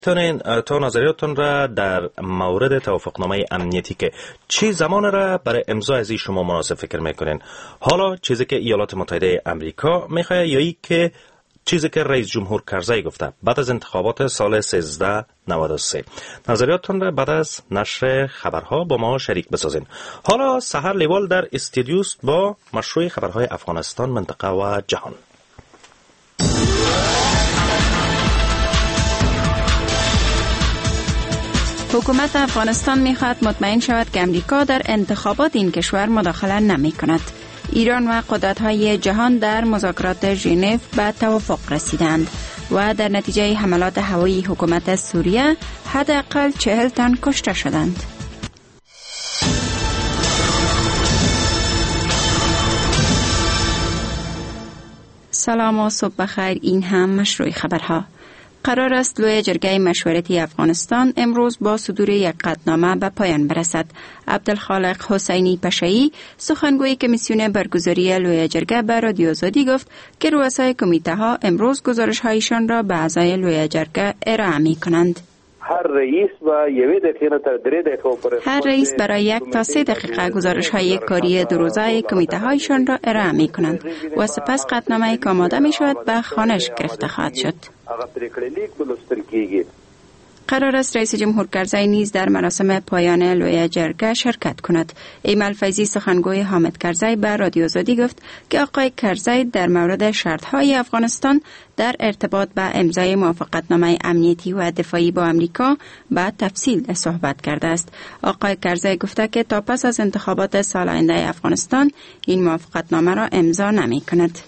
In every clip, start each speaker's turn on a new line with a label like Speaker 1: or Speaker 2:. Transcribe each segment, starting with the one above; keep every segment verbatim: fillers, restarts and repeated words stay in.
Speaker 1: تونین تا نظریاتتون را در مورد توافقنامه امنیتی که چه زمان را برای امضا از شما مناسب فکر میکنین، حالا چیزی که ایالات متحده امریکا میخواد یا ای که چیزی که رئیس جمهور کرزی گفته بعد از انتخابات سال سیزده نود و سه. نظریاتتون را بعد از نشر خبرها با ما شریک بسازین. حالا سحر لیوال در استودیوست با مشروع خبرهای افغانستان، منطقه و جهان.
Speaker 2: حکومت افغانستان میخواهد مطمئن شود که امریکا در انتخابات این کشور مداخله نمی کند. ایران و قدرت‌های جهان در مذاکرات ژنو به توافق رسیدند و در نتیجه حملات هوایی حکومت سوریه حداقل چهل تن کشته شدند. سلام و صبح بخیر، این هم مشروع خبرها. قرار است لوی جرگه مشورتی افغانستان امروز با صدور یک قطعنامه به پایان برسد. عبدالخالق حسینی پشه‌ای، سخنگوی کمیسیون برگزاری لوی جرگه، به رادیو آزادی گفت که رؤسای کمیته ها امروز گزارش هایشان را به اعضای لوی جرگه ارائه می کنند.
Speaker 3: هر رئیس و یوه دقیقه تا درې دقیقه
Speaker 2: هر رئیس برای یک تا سه دقیقه گزارش های کاری دو روزه کمیته هایشان را ارائه می کنند و سپس قطعنامه که آماده می شود به خوانش گرفته خواهد شد. قرار است رئیس جمهور کرزی نیز در مراسم پایان لوی جرگه شرکت کند. ایمل فیضی، سخنگوی حامد کرزی، به رادیو آزادی گفت که آقای کرزی در مورد شرط‌های افغانستان در ارتباط به امضای موافقتنامه امنیتی و دفاعی با امریکا به تفصیل صحبت کرده است. آقای کرزی گفته که تا پس از انتخابات سال آینده افغانستان این موافقتنامه را امضا نمی کند.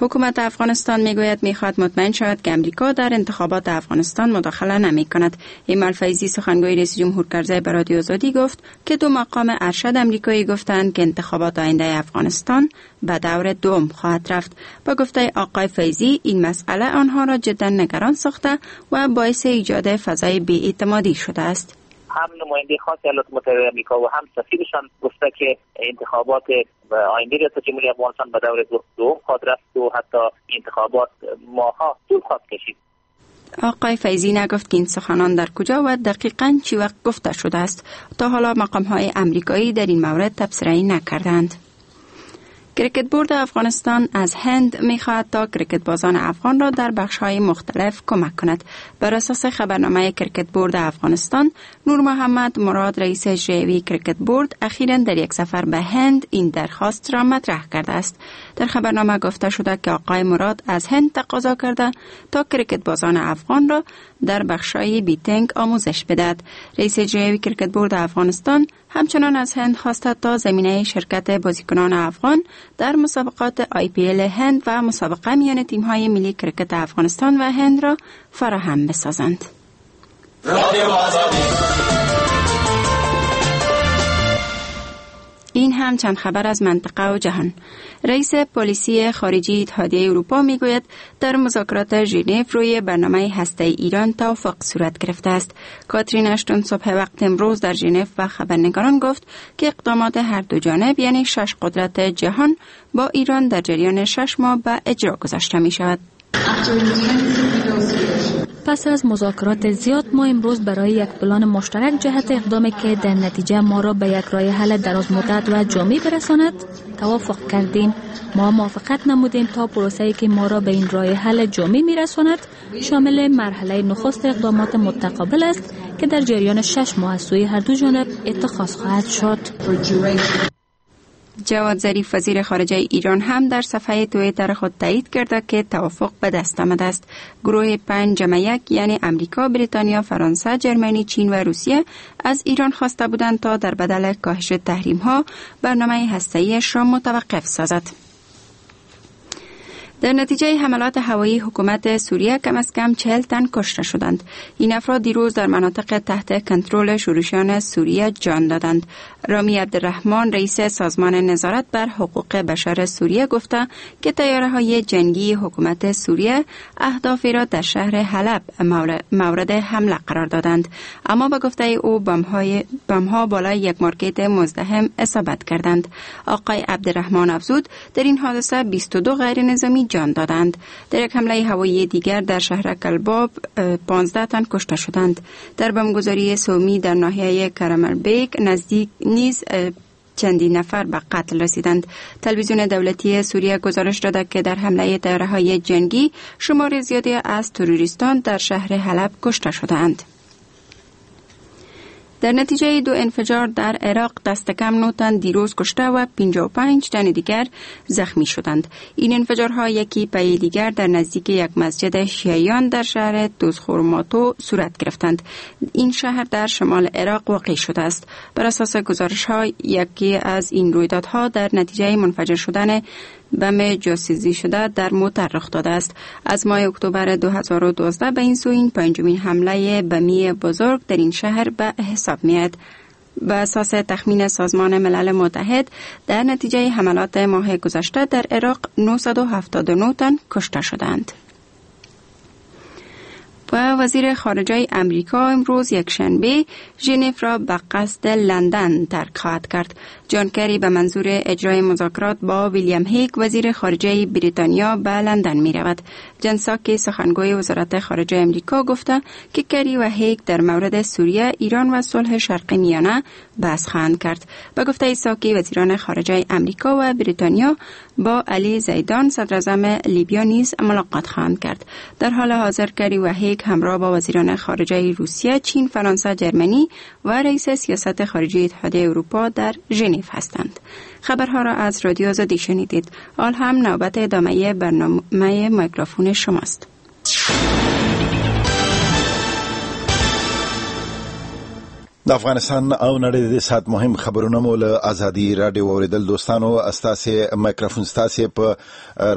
Speaker 2: حکومت افغانستان میگوید میخواهد مطمئن شود که امریکا در انتخابات افغانستان مداخله نمی کند. ایمل فیضی، سخنگوی رئیس جمهور کرزی، به رادیو آزادی گفت که دو مقام ارشد امریکایی گفتند که انتخابات آینده افغانستان به دور دوم خواهد رفت. با گفته آقای فیضی این مسئله آنها را جدا نگران ساخته و باعث ایجاد فضای بی‌اعتمادی شده است.
Speaker 4: هم نماینده خاص ایالات متحده آمریکا و هم سفیرشان گفته که انتخابات آینده ریاست جمهوری افغانستان به دور دوم خواهد رفت و حتی انتخابات ماها طول خواهد کشید.
Speaker 2: آقای فیضی نگفت که این سخنان در کجا و دقیقاً چی وقت گفته شده است. تا حالا مقام‌های امریکایی در این مورد تبصره‌ای نکردند. کرکت بورد افغانستان از هند میخواهد تا کرکت بازان افغان را در بخش‌های مختلف کمک کند. بر اساس خبرنامه کرکت بورد افغانستان، نور محمد مراد، رئیس اجرایی کرکت بورد، اخیراً در یک سفر به هند این درخواست را مطرح کرده است. در خبرنامه گفته شده که آقای مراد از هند تقاضا کرده تا کرکت بازان افغان را در بخش‌های batting آموزش بدهد. رئیس اجرایی کرکت بورد افغانستان همچنان از هند خواسته تا زمینه شرکت بازیکنان افغان در مسابقات آی پی ال هند و مسابقه میان تیم‌های ملی کرکت افغانستان و هند را فراهم بسازند. این هم چند خبر از منطقه و جهان. رئیس پالیسی خارجی اتحادیه اروپا میگوید در مذاکرات ژنو روی برنامه هسته‌ای ایران توافق صورت گرفته است. کاترین اشتون صبح وقت امروز در ژنو به خبرنگاران گفت که اقدامات هر دو جانب، یعنی شش قدرت جهان، با ایران در جریان شش ماه به اجرا گذاشته می شود.
Speaker 5: پس از مذاکرات زیاد ما امروز برای یک پلان مشترک جهت اقدامی که در نتیجه ما را به یک راه حل دراز مدت و جامع برساند توافق کردیم. ما موافقت نمودیم تا پروسه‌ای که ما را به این راه حل جامع می‌رساند شامل مرحله نخست اقدامات متقابل است که در جریان شش ماه از سوی هر دو جانب اتخاذ خواهد شد.
Speaker 2: جواد ظریف، وزیر خارجه ایران، هم در صفحه توییتر خود تایید کرده که توافق به دست آمده است. گروه پنج جمع یک، یعنی امریکا، بریتانیا، فرانسه، جرمنی، چین و روسیه، از ایران خواسته بودند تا در بدل کاهش تحریم ها برنامه هسته‌ایش را متوقف سازد. در نتیجه حملات هوایی حکومت سوریه کم از کم چهل تن کشته شدند. این افراد دیروز در مناطق تحت کنترل شورشیان سوریه جان دادند. رامی عبدالرحمن، رئیس سازمان نظارت بر حقوق بشر سوریه، گفته که طیاره‌های جنگی حکومت سوریه اهدافی را در شهر حلب مورد حمله قرار دادند. اما به گفته او بم‌های بم‌ها بالای یک مارکت مزدحم اصابت کردند. آقای عبدالرحمن افزود در این حادثه بیست و دو غیر نظامی جان دادند. در یک حمله هوایی دیگر در شهر کلباب پانزده تن کشته شدند. در بمبگذاری سومی در ناحیه کرمربیک نزدیک نیز چندی نفر به قتل رسیدند. تلویزیون دولتی سوریه گزارش داده که در حمله طیاره‌های جنگی شمار زیادی از تروریستان در شهر حلب کشته شدند. در نتیجه دو انفجار در عراق دست کم نه تن دیروز کشته و پنجاه و پنج تن دیگر زخمی شدند. این انفجارها یکی پی دیگر در نزدیک یک مسجد شیعیان در شهر دوزخورماتو صورت گرفتند. این شهر در شمال عراق واقع شده است. بر اساس گزارش‌ها یکی از این رویدادها در نتیجه منفجر شدن بم جاسوسی شده در موتر رخ داده است. از ماه اکتبر دو هزار و دوازده به این سو این پنجمین حمله بمی بزرگ در این شهر به حساب میاد. به اساس تخمین سازمان ملل متحد در نتیجه حملات ماه گذشته در عراق نهصد و هفتاد و نه تن کشته شدند. و وزیر خارجه امریکا امروز یکشنبه ژنو را به قصد لندن ترک خواهد کرد. جان کری به منظور اجرای مذاکرات با ویلیام هیگ وزیر خارجه بریتانیا به لندن می رود. جان ساکی سخنگوی وزارت خارجه امریکا گفته که کری و هیگ در مورد سوریه، ایران و صلح شرق میانه بحث خواهند کرد. به گفته ساکی وزیران خارجه امریکا و بریتانیا با علی زیدان صدراعظم لیبیا نیز ملاقات خواهند کرد. در حال حاضر کری و هیگ همراه با وزیران خارجه روسیه، چین، فرانسه، جرمنی و رئیس سیاست خارجی اتحادیه اروپا در ژنو هستند. خبرها را از رادیو آزادی شنیدید. حال هم نوبت ادامه برنامه میکروفون شماست.
Speaker 6: د افغانستان او نړۍ د سات مهم خبرونه مو له ازادي رادیو اوریدل. دوستانو استاسې مایکروفون ستاسې په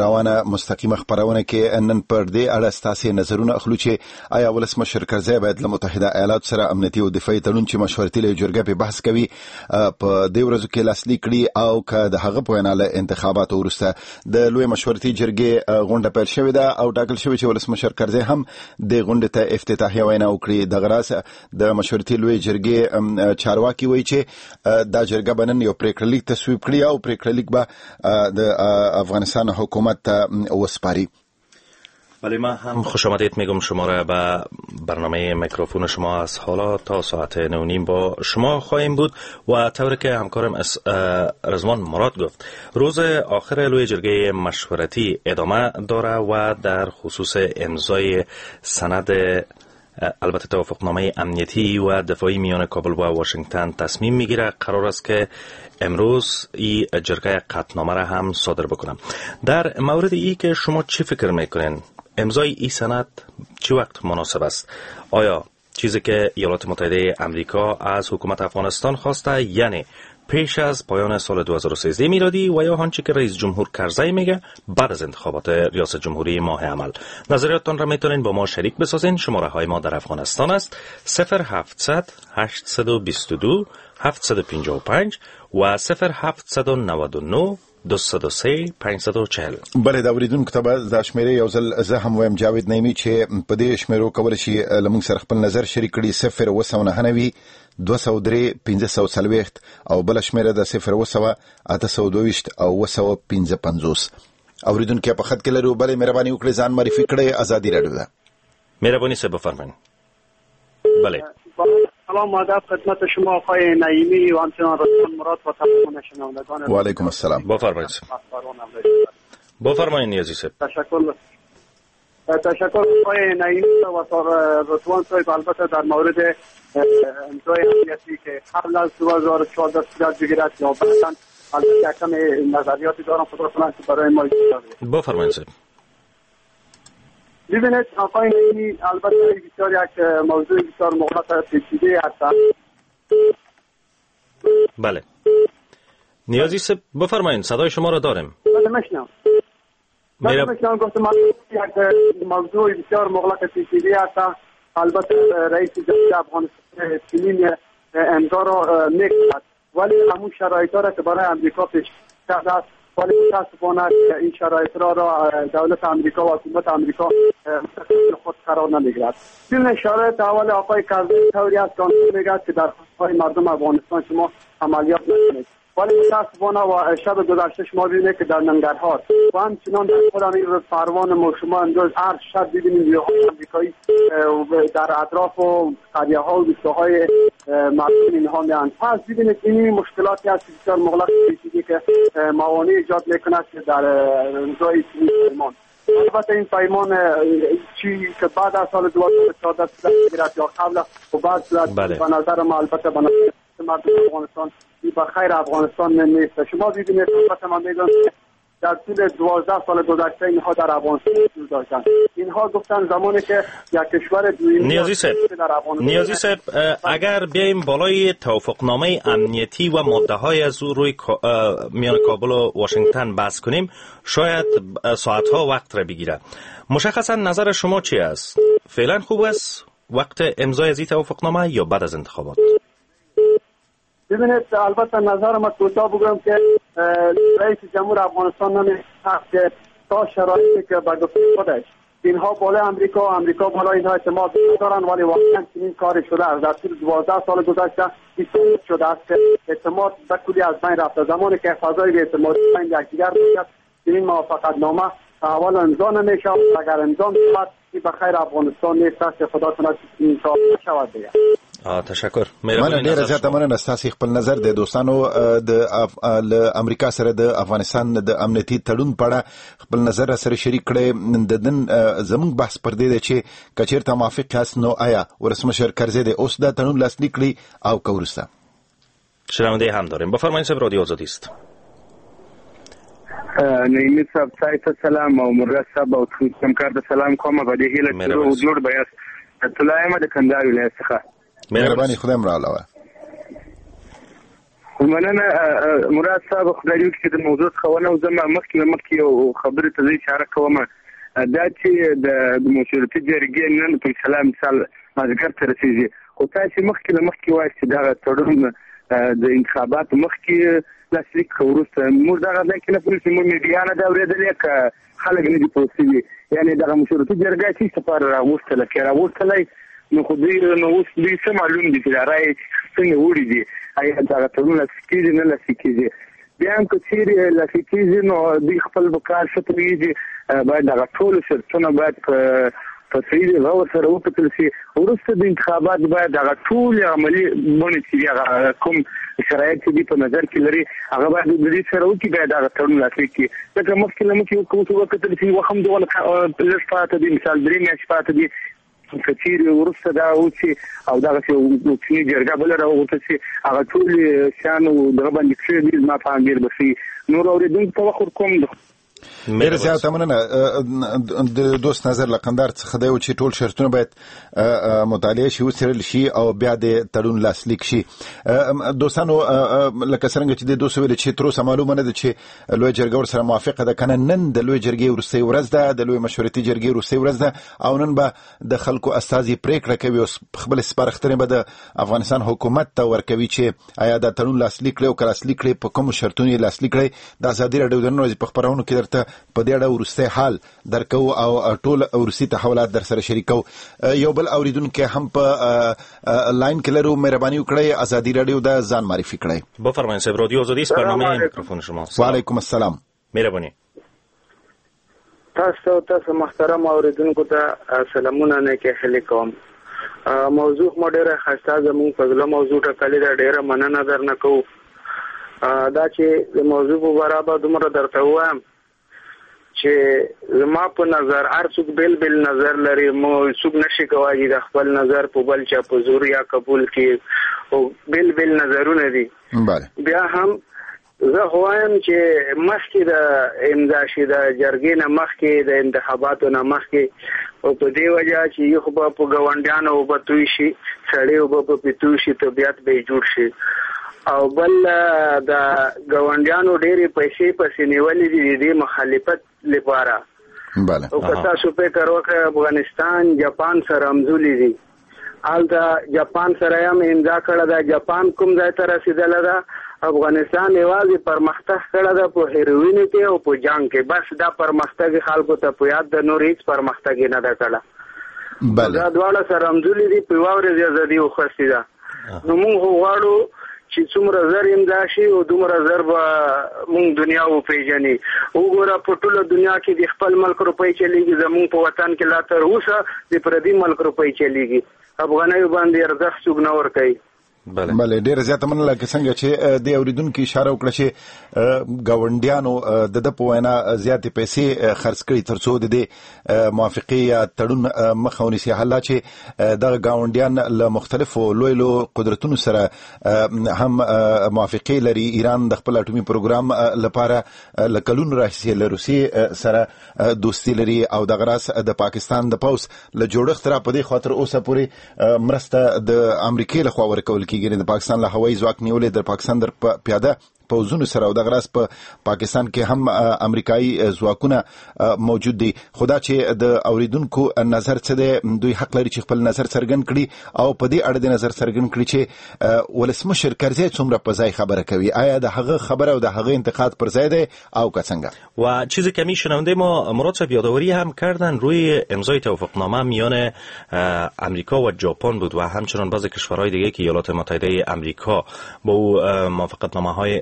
Speaker 6: روانه مستقیمه خبرونه کې نن پر دې اړه ستاسې نظرونه اخلو چې آیا ولسمشر کرزی باید له متحده ایالاتو سره امنیتي او دفاعي تړون چې مشورتي لویه جرګه په بحث کوي په دې ورځو کې لاسلیک کړي او که د هغه په وینا له انتخاباتو وروسته د لوی مشورتي جرګې غونډه پیل شوې ده او ټاکل شوې چې ولسمشر کرزی هم د غونډې ته افتتاحیه وینا وکړي. دغه راز د مشورتي لویې جرګې چارواکي وایي چې دا جرګه به نن یو پرېکړه لیک تصویب کړي او پرېکړه لیک به د افغانستان حکومت ته وسپاري.
Speaker 1: ولی من هم خوش آمدید میگم شما را به برنامه میکروفون شما. از حالا تا ساعت نه و نیم با شما خواهیم بود و طوری که همکارم رضوان مراد گفت روز آخر لوی جرگه مشورتی ادامه داره و در خصوص امضای سند البته توافقنامه امنیتی و دفاعی میان کابل و واشنگتن تصمیم میگیره. قرار است که امروز این جرگه قطعنامه را هم صادر بکنم. در مورد ای که شما چی فکر میکنین امضای این سند چه وقت مناسب است؟ آیا چیزی که ایالات متحده امریکا از حکومت افغانستان خواسته یعنی پیش از پایان سال دو هزار و سیزده میلادی و یا آنچه که رئیس جمهور کرزی میگه بعد از انتخابات ریاست جمهوری ماه عمل؟ نظریاتتان را میتونین با ما شریک بسازین. شماره های ما در افغانستان است صفر هفتصد هشتصد و بیست و دو هفتصد و پنجاه و پنج و صفر هفتصد و نود و نه دویست و سه پنجصد و چهل.
Speaker 6: بله د اوریدونکو ته به دا شمېرې یو ځل زه هم وایم جاوید نعیمي چې په دې شمېرو کولی شي له موږ سره خپل نظر شریک کړي. صفر اووه سوه نهه نوي دوه سوه درې پنځه سوه څلوېښت او بله شمېره ده صفر اووه سوه اته سوه دوه ویشت او اووه سوه پنځه پنځوس. اوریدونکي په خط کې لرو. بله مهرباني وکړئ ځان معرفي کړئ. ازادي راډیو ده.
Speaker 1: مهرباني صاحب بفرمایئ. بله
Speaker 7: سلام و ادب خدمت شما آقای نعیمی و همچنان رضوان مراد و تمام شنوندگان.
Speaker 6: و علیکم السلام.
Speaker 1: بفرمایید. بفرمایید نیازی صاحب.
Speaker 7: تشکر تشکر آقای نعیمی و رضوان صاحب. البته در مورد امضای امنیتی که قبل از دو هزار و چهارده صورت بگیرد یا بعداً البته کم نظریاتی دارم خدا کنه که برای ما اجازه.
Speaker 1: بفرمایید صاحب.
Speaker 7: ببینید آقای نعیمی البته بسیار یک موضوع بسیار مغلق پیچیده هست.
Speaker 1: بله نیازی صاحب بفرمایید صدای شما را داریم.
Speaker 7: بله میشنم. بله میشنم. گفتم یک موضوع بسیار مغلق پیچیده هست. البته رئیس جمهور افغانستان چنین امضا را میکرد ولی همون شرایط را که برای امریکا پیش کرده است ولی متاسفانه این شرایط را را دولت امریکا و حکومت امریکا مستقل خود قرار نمیگیرد. این شرایط اول آقای کرزی طوری است که میگه که در خواستهای مردم افغانستان شما عملیات نکنید. ولی متاسفانه و شب گذشته شما ببینید که در ننگرهار و همچنان در خود همین پروان ما شما امروز هر شب ببینیم نیروهای آمریکایی در اطراف و قریه ها و روستاهای مردم اینها میان. پس ببینید این مشکلاتی هست بسیار مغلق پیچیده که موانع ایجاد میکند که در امضای چنین پیمان. البته این پیمان چی که بعد از سال دو هزار و چهارده صورت گرفت یا قبل و بعد صورت به نظر ما البته به نظر مردم افغانستان به خیر افغانستان نیست. شما ببینید البته من میگم در طول دوازده سال گذشته اینها در افغانستان وجود داشتند. اینها گفتن زمانی که یک کشور دویمی
Speaker 1: نیازی صاحب نیازی صاحب اگر بیایم بالای توافقنامه امنیتی و ماده های از او روی میان کابل و واشنگتن بحث کنیم شاید ساعتها وقت را بگیره. مشخصا نظر شما چی است؟ فعلا خوب است وقت امضای از این توافقنامه یا بعد از انتخابات؟
Speaker 7: ببینید البته نظر ما کوتاه بگم که رئیس جمهور افغانستان نمی‌خواهد که تا شرایطی که به گفته خودش اینها بالای امریکا و امریکا بالای اینها اعتماد ندارند، ولی واقعا چنین کاری شده است. در طول دوازده سال گذشته شده است که اعتماد به کلی از بین رفته. زمانی که فضای اعتماد بین یکدیگر باشد چنین موافقت نامه اول امضا نمی‌شود. اگر امضا شود به خیر افغانستان نیست که خدا کند این کار شود دیگه.
Speaker 1: تشکر.
Speaker 6: مننه ډیره زیاته مننه. ستاسو خپل نظر د دوستانو د امریکا سره د افغانستان د امنیتي تړون په اړه خپل نظر سره شریک کړئ. د نن زموږ بحث پر دې دی چې که چیرته موافق یاست نو آیا ولسمشر کرزی د اوس دا تړون لاسلیک کړي او که وروسته.
Speaker 1: شنونده هم داریم. بفرمایید صاحب، رادیو آزادی است.
Speaker 8: نعیمي صاحب ته سلام او مراد صاحب او همکار ته سلام کوم. په دې هیله چې روغ جوړ به یاست. طلعه یم د کندهار ولایت څخه.
Speaker 6: مهرباني خدای مو راوله.
Speaker 8: مننه مراد صاحب، خدای دې وکړي چې د موضوع څخه ونه وځم. مخکې له مخکې یو خبرې ته زه اشاره کوم، دا چې د مشورتي جرګې نن فیصله مثال مازدیګر ته رسېږي، خو تاسې مخکې له مخکې وایاست چې دغه تړون د انتخاباتو مخکې لاسلیک که وروسته. موږ دغه ځای کې نه پوهېږو چې موږ میډیا نه ده اورېدلې که خلک نه دي پوه شوي. یعنې دغه مشورتي جرګه چې څه لپاره راغوښتله، که راغوښتلی نو خو دوی نو اوس دوی څه معلوم دي چې دا رایې څنګه وړي دي، ایا دغه تړون لاسلیک کېږي نه لاسلیک کېږي. بیا هم که چیرې لاسلیک کېږي نو دوی خپل په کار ښه پوهېږي، باید دغه ټولو شرطونه باید په په صحیح غور سره وکتل شي. وروسته د انتخابات باید دغه ټولې عملي بڼې چې دي، هغه کوم شرایط چې دوی په نظر کې لري هغه باید د دوی سره وکړي، باید دغه تړون لاسلیک کړي. ځکه مخکې له مخکې وکتل شي وخت هم دونه لږ پاته دي، مثال درې میاشتې پاته دي. که چیرې وروسته دا وشي او دغسې کوچنۍ جرګه بله راوغوښتل شي، هغه ټولې شیانو دغه باندې کښېږدي، زما په اند ډېر به ښه وي. نور اورېدونکو ته وخت ورکوم.
Speaker 6: ډېره زیاته مننه. د دوست نظر له قندهار څخه دی چې ټول شرطونه باید مطالعه شي، وڅېړل شي او بیا د تړون لاسلیک شي. دوستانو لکه څرنګه چې د دوست ویل چې تر اوسه معلومه نه ده چې لویه جرګه ورسره موافقه ده که نه. نن د لویې جرګې وروستۍ ورځ ده، د لویې مشورتي جرګې وروستۍ ورځ ده او نن به د خلکو استازي پرېکړه کوي او خپلې سپارښتنې به د افغانستان حکومت ته ورکوي چې آیا دا تړون لاسلیک کړي او که لاسلیک کړي په کومو شرطونو یې لاسلیک کړي. د ازادي راډیو د نن ورځې په خپرونو کې درته په دې اړه وروستی حال درکو او ټول وروستي تحولات در سره شریکو. یو بل اوریدونکی هم په لاین کې لرو، مهرباني وکړئ ازادي راډیو د ځان معرفي کړئ.
Speaker 1: بفرمایئ صاحب، رادیو آزادی است، برنامه میکروفون شماست.
Speaker 6: و علیکم السلام.
Speaker 1: مهرباني.
Speaker 8: تاسو تاسو محترم اوریدونکو ته سلامونه نیکې هیلې کوم. موضوع مو ډېره ښایسته زموږ په زړه موضوع ټاکلې ده، ډېره مننه درنه کوو. دا چې د موضوع په برابر دومره درته ووایم چې زما په نظر هر څوک بېل بېل نظر لري، مو څوک نشي کولی چې د خپل نظر په بل چا په زور یا قبول کړي، او بېل بېل نظرونه دي. بیا هم زه خو وایم چې مخکې د امضا شي د جرګې نه مخکې د انتخاباتو نه مخکې، او په دې وجه چې یو خو به په ګاونډیانو اوبه توی شي، سړی اوبه په پې توی شي، طبیعت به یې جوړ شي. او بل د ګاونډیانو ډېرې پیسې پسې نیولې دي د دې مخالفت لپاره.
Speaker 6: بله.
Speaker 8: او که تاسو فکر وکړئ افغانستان جاپان سره همزولي دي، هلته جاپان سره یې هم امضا کړې ده، جاپان کوم ځای ته رسېدلی ده، افغانستان یوازې پرمختګ کړی ده په هیروینو کې او په جنګ کې، بس دا پرمختګ خلکو ته په یاد ده، نور هیڅ پرمختګ یې نه ده کړی.
Speaker 6: بله.
Speaker 8: دا دواړه سره همزولي دي، په یوه ورځ ازادي وخوستې ده. نو موږ خو غواړو چې څومره زر امضا شي او دومره زر به موږ دنیا وپیژني. وګوره په ټوله دنیا کې د خپل ملک روپۍ چلیږي، زموږ په وطن کې لا تر اوسه د پردي ملک روپۍ چلیږي. افغانیو باندې ارزښت څوک نه ورکوي.
Speaker 6: بله بله ډیره زیاته مننه. لکه څنګه چې د اوریدونکو اشاره وکړه چې ګاونډیانو د ده په وینا زیاتې پیسې خرڅ کړي ترڅو د دې موافقې یا تړون مخه ونیسي، حال دا چې دغه ګاونډیان له مختلفو لوی لوی قدرتونو سره هم موافقې لري. ایران د خپل اټومي پروګرام لپاره له کلونو راهیسې له روسیې سره دوستي لري او دغه راز د پاکستان د پوځ له جوړښت را په دې خوا تر اوسه پورې مرسته د امریکې لخوا ورکول کیږي. د پاکستان له هوایي ځواک نیولې د پاکستان د پیاده پوځونو سره او دغه راز په پاکستان کې هم امریکایي ځواکونه موجود دي. خو دا چې د اوریدونکو نظر څه دی، دوی حق لري چې خپل نظر څرګند کړي او په دې اړه د نظر څرګند کړي چې ولسمشر کرزی څومره په ځای خبره کوي، آیا د هغه خبره او د هغه انتقاد پر ځای دی او که څنګه؟
Speaker 1: و چیزی که می شنونده ما مراد صاحب یادآوری هم کردن روی امضای توافقنامه میان امریکا و ژاپن بود و همچنان بعضی کشورهای دیگه که ایالات متحده امریکا با او موافقتنامه های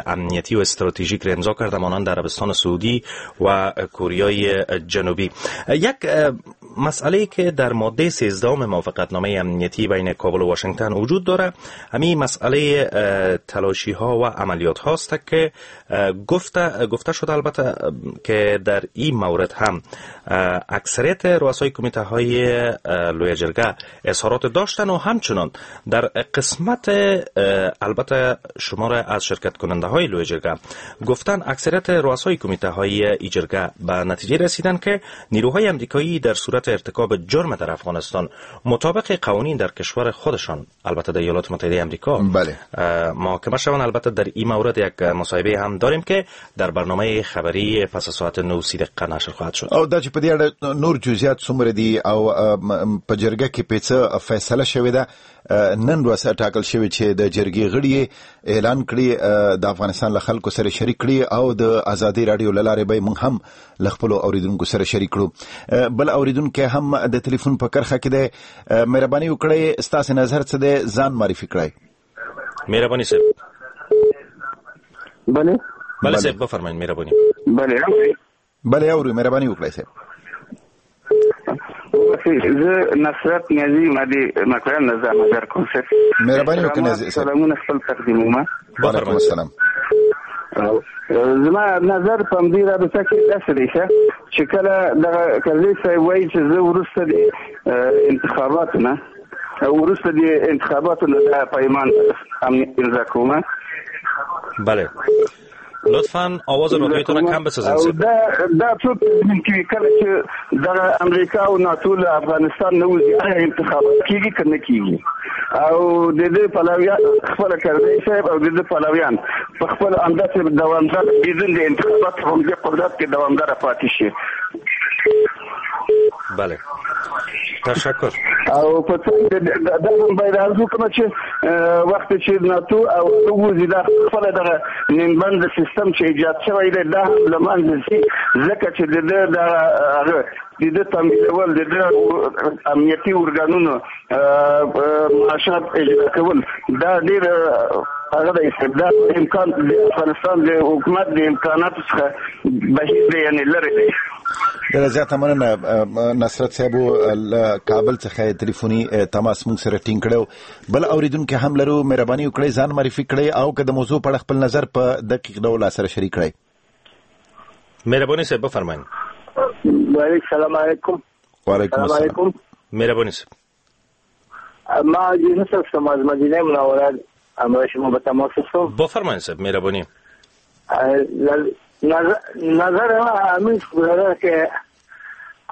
Speaker 1: امنیتی و استراتژیک را امضا کرده، مانند عربستان سعودی و کوریای جنوبی. یک مسئله که در ماده سیزدهم موافقتنامه امنیتی بین کابل و واشنگتن وجود داره، همین مسئله تلاشی ها و عملیات هاست که گفته گفته شده البته که در این مورد هم اکثریت رؤسای کمیته های لوی جرگه اظهارات داشتن و همچنان در قسمت البته شمار از شرکت کننده های لوی جرگه گفتن اکثریت رؤسای کمیته های ای جرگه به نتیجه رسیدن که نیروهای امریکایی در صورت ارتکاب جرم در افغانستان مطابق قوانین در کشور خودشان، البته در ایالات متحده امریکا،
Speaker 6: بله،
Speaker 1: محاکمه شوند. البته در این مورد یک مصاحبه هم داریم که در برنامه خبری پس از ساعت نه و سی دقیقه نشر خواهد شد.
Speaker 6: او دا چې په دې اړه نور جزئیات څومره دي او په جرګه کې په څه فیصله شوې ده، نن ورځ ټاکل شوې چې د جرګې غړي اعلان کړي، د افغانستان له خلکو سره شریک کړي او د ازادي راډیو له لارې به موږ هم له خپلو اوریدونکو سره شریک کړو. بل اوریدونکی هم د تلیفون په کرښه کې دی، مهرباني وکړئ ستاسو نظر څه دی، ځان معرفي کړئ.
Speaker 1: مهرباني صاحب.
Speaker 8: بله
Speaker 1: بله صاحب بفرمایئ. مهرباني.
Speaker 8: بله
Speaker 6: بله اورو، مهرباني وکړئ صاحب.
Speaker 8: زه نصرت نیازی مدی مکران نظر نظر کوم صاحب.
Speaker 6: مهرباني وکړئ نیازی صاحب.
Speaker 8: سلامونه خپل تقدیموم.
Speaker 6: وعلیکم السلام.
Speaker 8: زما نظر په همدې رابطه کې داسې دی چې کله دغه کرزی صاحب وایي چې زه وروسته د انتخاباتو نه وروسته د انتخاباتو نه دا پیمان امنیت امضا کوم.
Speaker 1: بله لطفاً آواز رادیوتون را کم بسازید.
Speaker 8: دا دا څوک تضمین کوي کله چې دغه امریکا او ناتو له افغانستان نه وځي، آیا انتخابات کیږي که نه کیږي؟ او د دې پلویان خپله کرزی صاحب او د دې پلویان په خپل همداسې دوامدار بدون د انتخابات په همدې قدرت کې دوامداره پاتې شي.
Speaker 1: بله تشکر.
Speaker 8: او په دا هم باید عرض وکړم چې وخت چې ناتو او وځي دا خپله دغه نیمبند سیستم چې ایجاد شوی دی دا هم له منځه ځي، ځکه چې د ده دغه هغه د ده تمویلول، د ده امنیتي ارګانونو معاشات اجرا کول، دا ډېر هغه د استبداد امکان د افغانستان د حکومت د امکاناتو څخه بهیر دی، یعنې لرې دی.
Speaker 6: ډېره زیاته مننه نصرت صاحب له کابل څخه تلیفوني تماس موږ سره ټینګ کړی. بل اوریدونکی هم لرو، مهرباني وکړئ ځان معرفي کړئ او که د موضوع په اړه خپل نظر په دقیق ډول سره شریک کړئ.
Speaker 1: مهرباني صاحب بفرمایئ.
Speaker 9: سلام علیکم.
Speaker 6: وعلیکم السلام.
Speaker 1: مهرباني صاحب.
Speaker 9: ما یونس هستم از مدینه منوره، همراه شما به تماس هستم.
Speaker 1: بفرمایئ صاحب. مهربانی.
Speaker 9: نظر نظر ما همین برادر که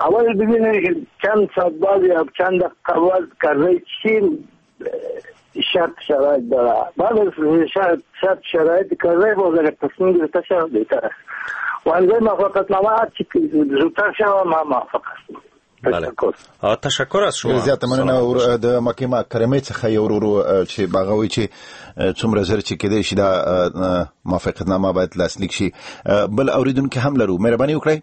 Speaker 9: اول ببینید که چند ساعت بعد یا چند دقیقه بعد کرزی چی شرط شرایط داره، بعد از شرط شرط شرایط کرزی باز اگر تصمیم گرفته شود بهتر است و امضای موافقتنامه هرچی که زودتر شود ما موافق هستم.
Speaker 1: بله تشکر از شما.
Speaker 6: زیاته مننه. د مکې مکرمې څخه یو ورور چې هغه وایي چې څومره زر چې کېدای شي دا موافقتنامه باید لاسلیک شي. بل اوریدونکی هم لرو، مهرباني وکړئ.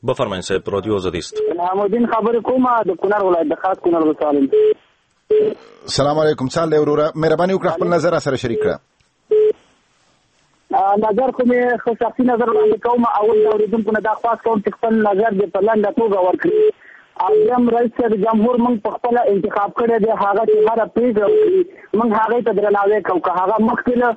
Speaker 1: بفرمایئ صاحب، رادیو آزادي است.
Speaker 9: محمودین خبرې کوم د کونړ ولایت د خاص کونړ ولسوالۍ.
Speaker 6: سلام علیکم. څه حال دی وروره؟ مهرباني وکړه خپل نظر سره شریک کړه.
Speaker 10: نظر خو مې خو شخصي نظر وړاندې کوم. اول د اورېدونکو نه دا خواست کوم چې خپل نظر دې په لنډه توګه ورکړي. او دویم رئیس صاحب جمهور موږ په خپله انتخاب کړی دی، هغه چې هره پرېکړه وکړي موږ هغې ته درناوی کوو. که هغه مخکې له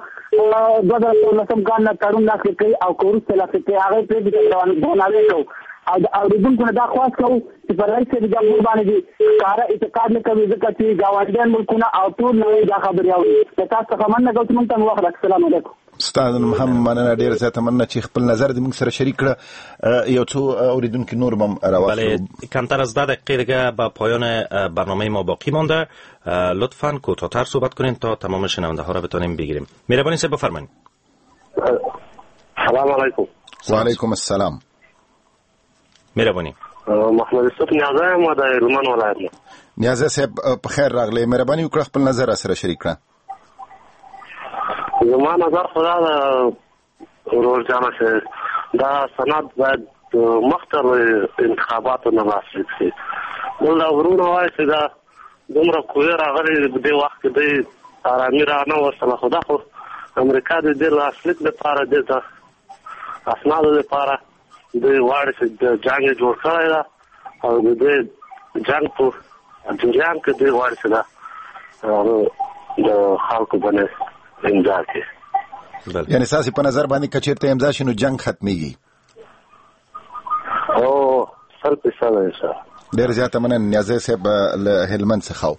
Speaker 10: دوه زره څوارلسم کال نه تړون لاسلیک کوي او که وروسته لاسلیک کوي، هغې پرېکړې ته درناوی کوو. او د اورېدونکو نه دا خواست کوو چې پر رئیس صاحب جمهور باندې دې ښکاره اعتقاد نه کوي، ځکه چې ګاونډیان ملکونه او ټول نړۍ دا خبرې اوري. له تاسو څخه مننه کوم چې موږ ته مو وخت راکړ. السلام علیکم.
Speaker 6: ستا هم مننه، ډیره زیاته مننه چې خپل نظر دې موږ سره شریک کړه. یو څو اوریدونکي نور هم راوخلو.
Speaker 1: بله، کمتر از ده دقیقه دیگه به پایان برنامه ما باقی مانده. لطفاً کوتاه‌تر صحبت کنین تا تمام شنونده ها را بتونیم بگیریم. مهربانی صاحب بفرمایید.
Speaker 11: سلام علیکم.
Speaker 6: و علیکم السلام.
Speaker 1: مهربانی.
Speaker 11: محمد یوسف نیازی یم د هلمند ولایت نه.
Speaker 6: نیازی صاحب په خیر راغلی، مهرباني وکړه خپل نظر سره شریک کړه.
Speaker 11: زما نظر خو دا ده ورور جانه چې دا سند باید مخته له انتخاباتو نه لاسلیک شي. بل دا وروڼه وایي چې دا دومره قوې راغلې په دې وخت کې دوی ارامي را نه وستله، خو دا خو امریکا د دې لاسلیک دپاره، دې د اسنادو دپاره دوی غواړي چې جنګ یې جوړ کړی ده او د دې جنګ په جریان کې دوی غواړي چې دا د خلکو باندې امضا کړي.
Speaker 6: یعنی ستاسې په نظر باندې که چېرته امضا شي نو جنګ ختمېږي؟
Speaker 11: او سل فیصده انشاءالله.
Speaker 6: ډېر زیاته مننه نیازی صاحب له هلمند څخه.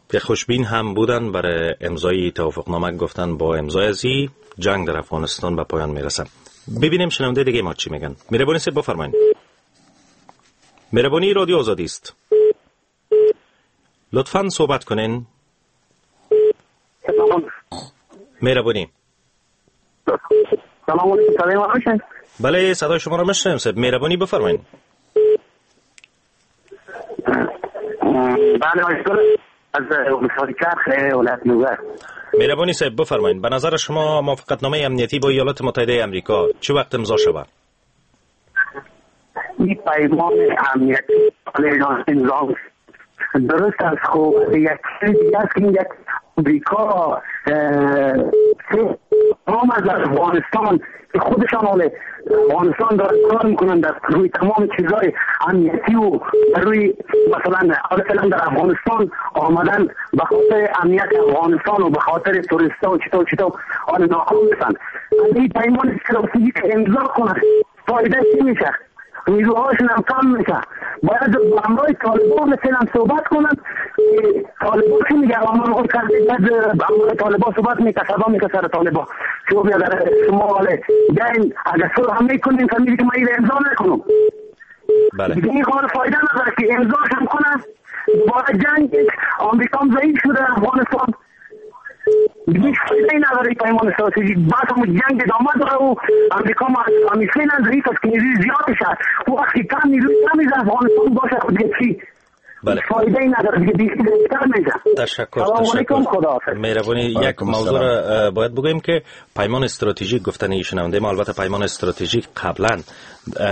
Speaker 1: که خوشبین هم بودن برای امضای توافقنامه، گفتن با امضای ازی جنگ در افغانستان به پایان میرسه. ببینیم شنونده دیگه ما چی میگن. مهربانی صاحب بفرمایید. مهربانی رادیو آزادی است. لطفاً صحبت کنین. مهربانی.
Speaker 10: سلام علیکم. صدای ما میشنوید؟
Speaker 1: بله صدای شما رو میشنویم صاحب. مهربانی بفرمایید.
Speaker 10: بله از چرخ ولایت لوگر.
Speaker 1: مهربانی صاحب بفرمایید، به نظر شما موافقتنامه امنیتی با ایالات متحده امریکا چه وقت امضا شود؟
Speaker 10: این پیمان امنیتی امضا درست است. خب یک چیز دیگه است که یک امریکا تمام از افغانستان که خودشان حال افغانستان دارن کار میکنن در روی تمام چیزهای امنیتی و روی مثلا مثلا در افغانستان آمدن به خاطر امنیت افغانستان و به خاطر توریست‌ها و چطور چطور آن ناکام میشن. این پیمان استراتژیک امضا کنه فایده چی میشه؟ نیروهاشون هم کم میشه. باید با همراه طالبان مثلا صحبت کنن. طالبان چی میگه؟ آمان خود کرده بعد با همراه طالبان صحبت میکنه، صدا میکنه سر طالبان شما بیادر شما حاله بیاین اگر صلح هم میکنیم فهمیدی که من این امضا نکنم.
Speaker 1: بله
Speaker 10: دیگه این کار فایده نداره که امضاش هم کنه دوباره جنگ آمریکا هم ضعیف شده افغانستان هیچ فایده نداره. پیمان استراتژیک بعد هم جنگ ادامه داره و امریکا ما فعلا ضعیف است که نیروی زیادش است و وقتی کم نیروی کمی در افغانستان باشه خود دیگه چی؟
Speaker 1: بله
Speaker 10: فایده ای نداره دیگه، بیشتر میشه.
Speaker 1: تشکر تشکر. مهربانی. یک موضوع را باید بگوییم که پیمان استراتژیک گفتن شنونده ما، البته پیمان استراتژیک قبلا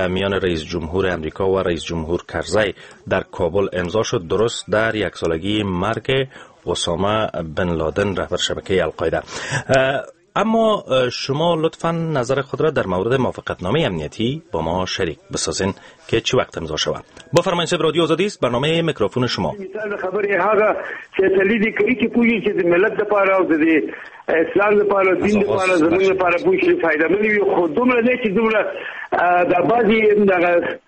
Speaker 1: میان رئیس جمهور امریکا و رئیس جمهور کرزی در کابل امضا شد، درست در یک سالگی مرگ اسامه بن لادن رهبر شبکه القاعده. اما شما لطفاً نظر خود را در مورد موافقتنامه امنیتی با ما شریک بسازین که چه وقت امضا شود. بفرمایید صاحب. رادیو آزادی است، برنامه میکروفون شما.
Speaker 8: مثال خبرې هغه چې تللی دي کوي چې پوهیږي چې د ملت لپاره او د اسلام لپاره دین لپاره زموږ لپاره پوهیږي فایده مند وي، خو دومره نه چې دومره د بعضې دغه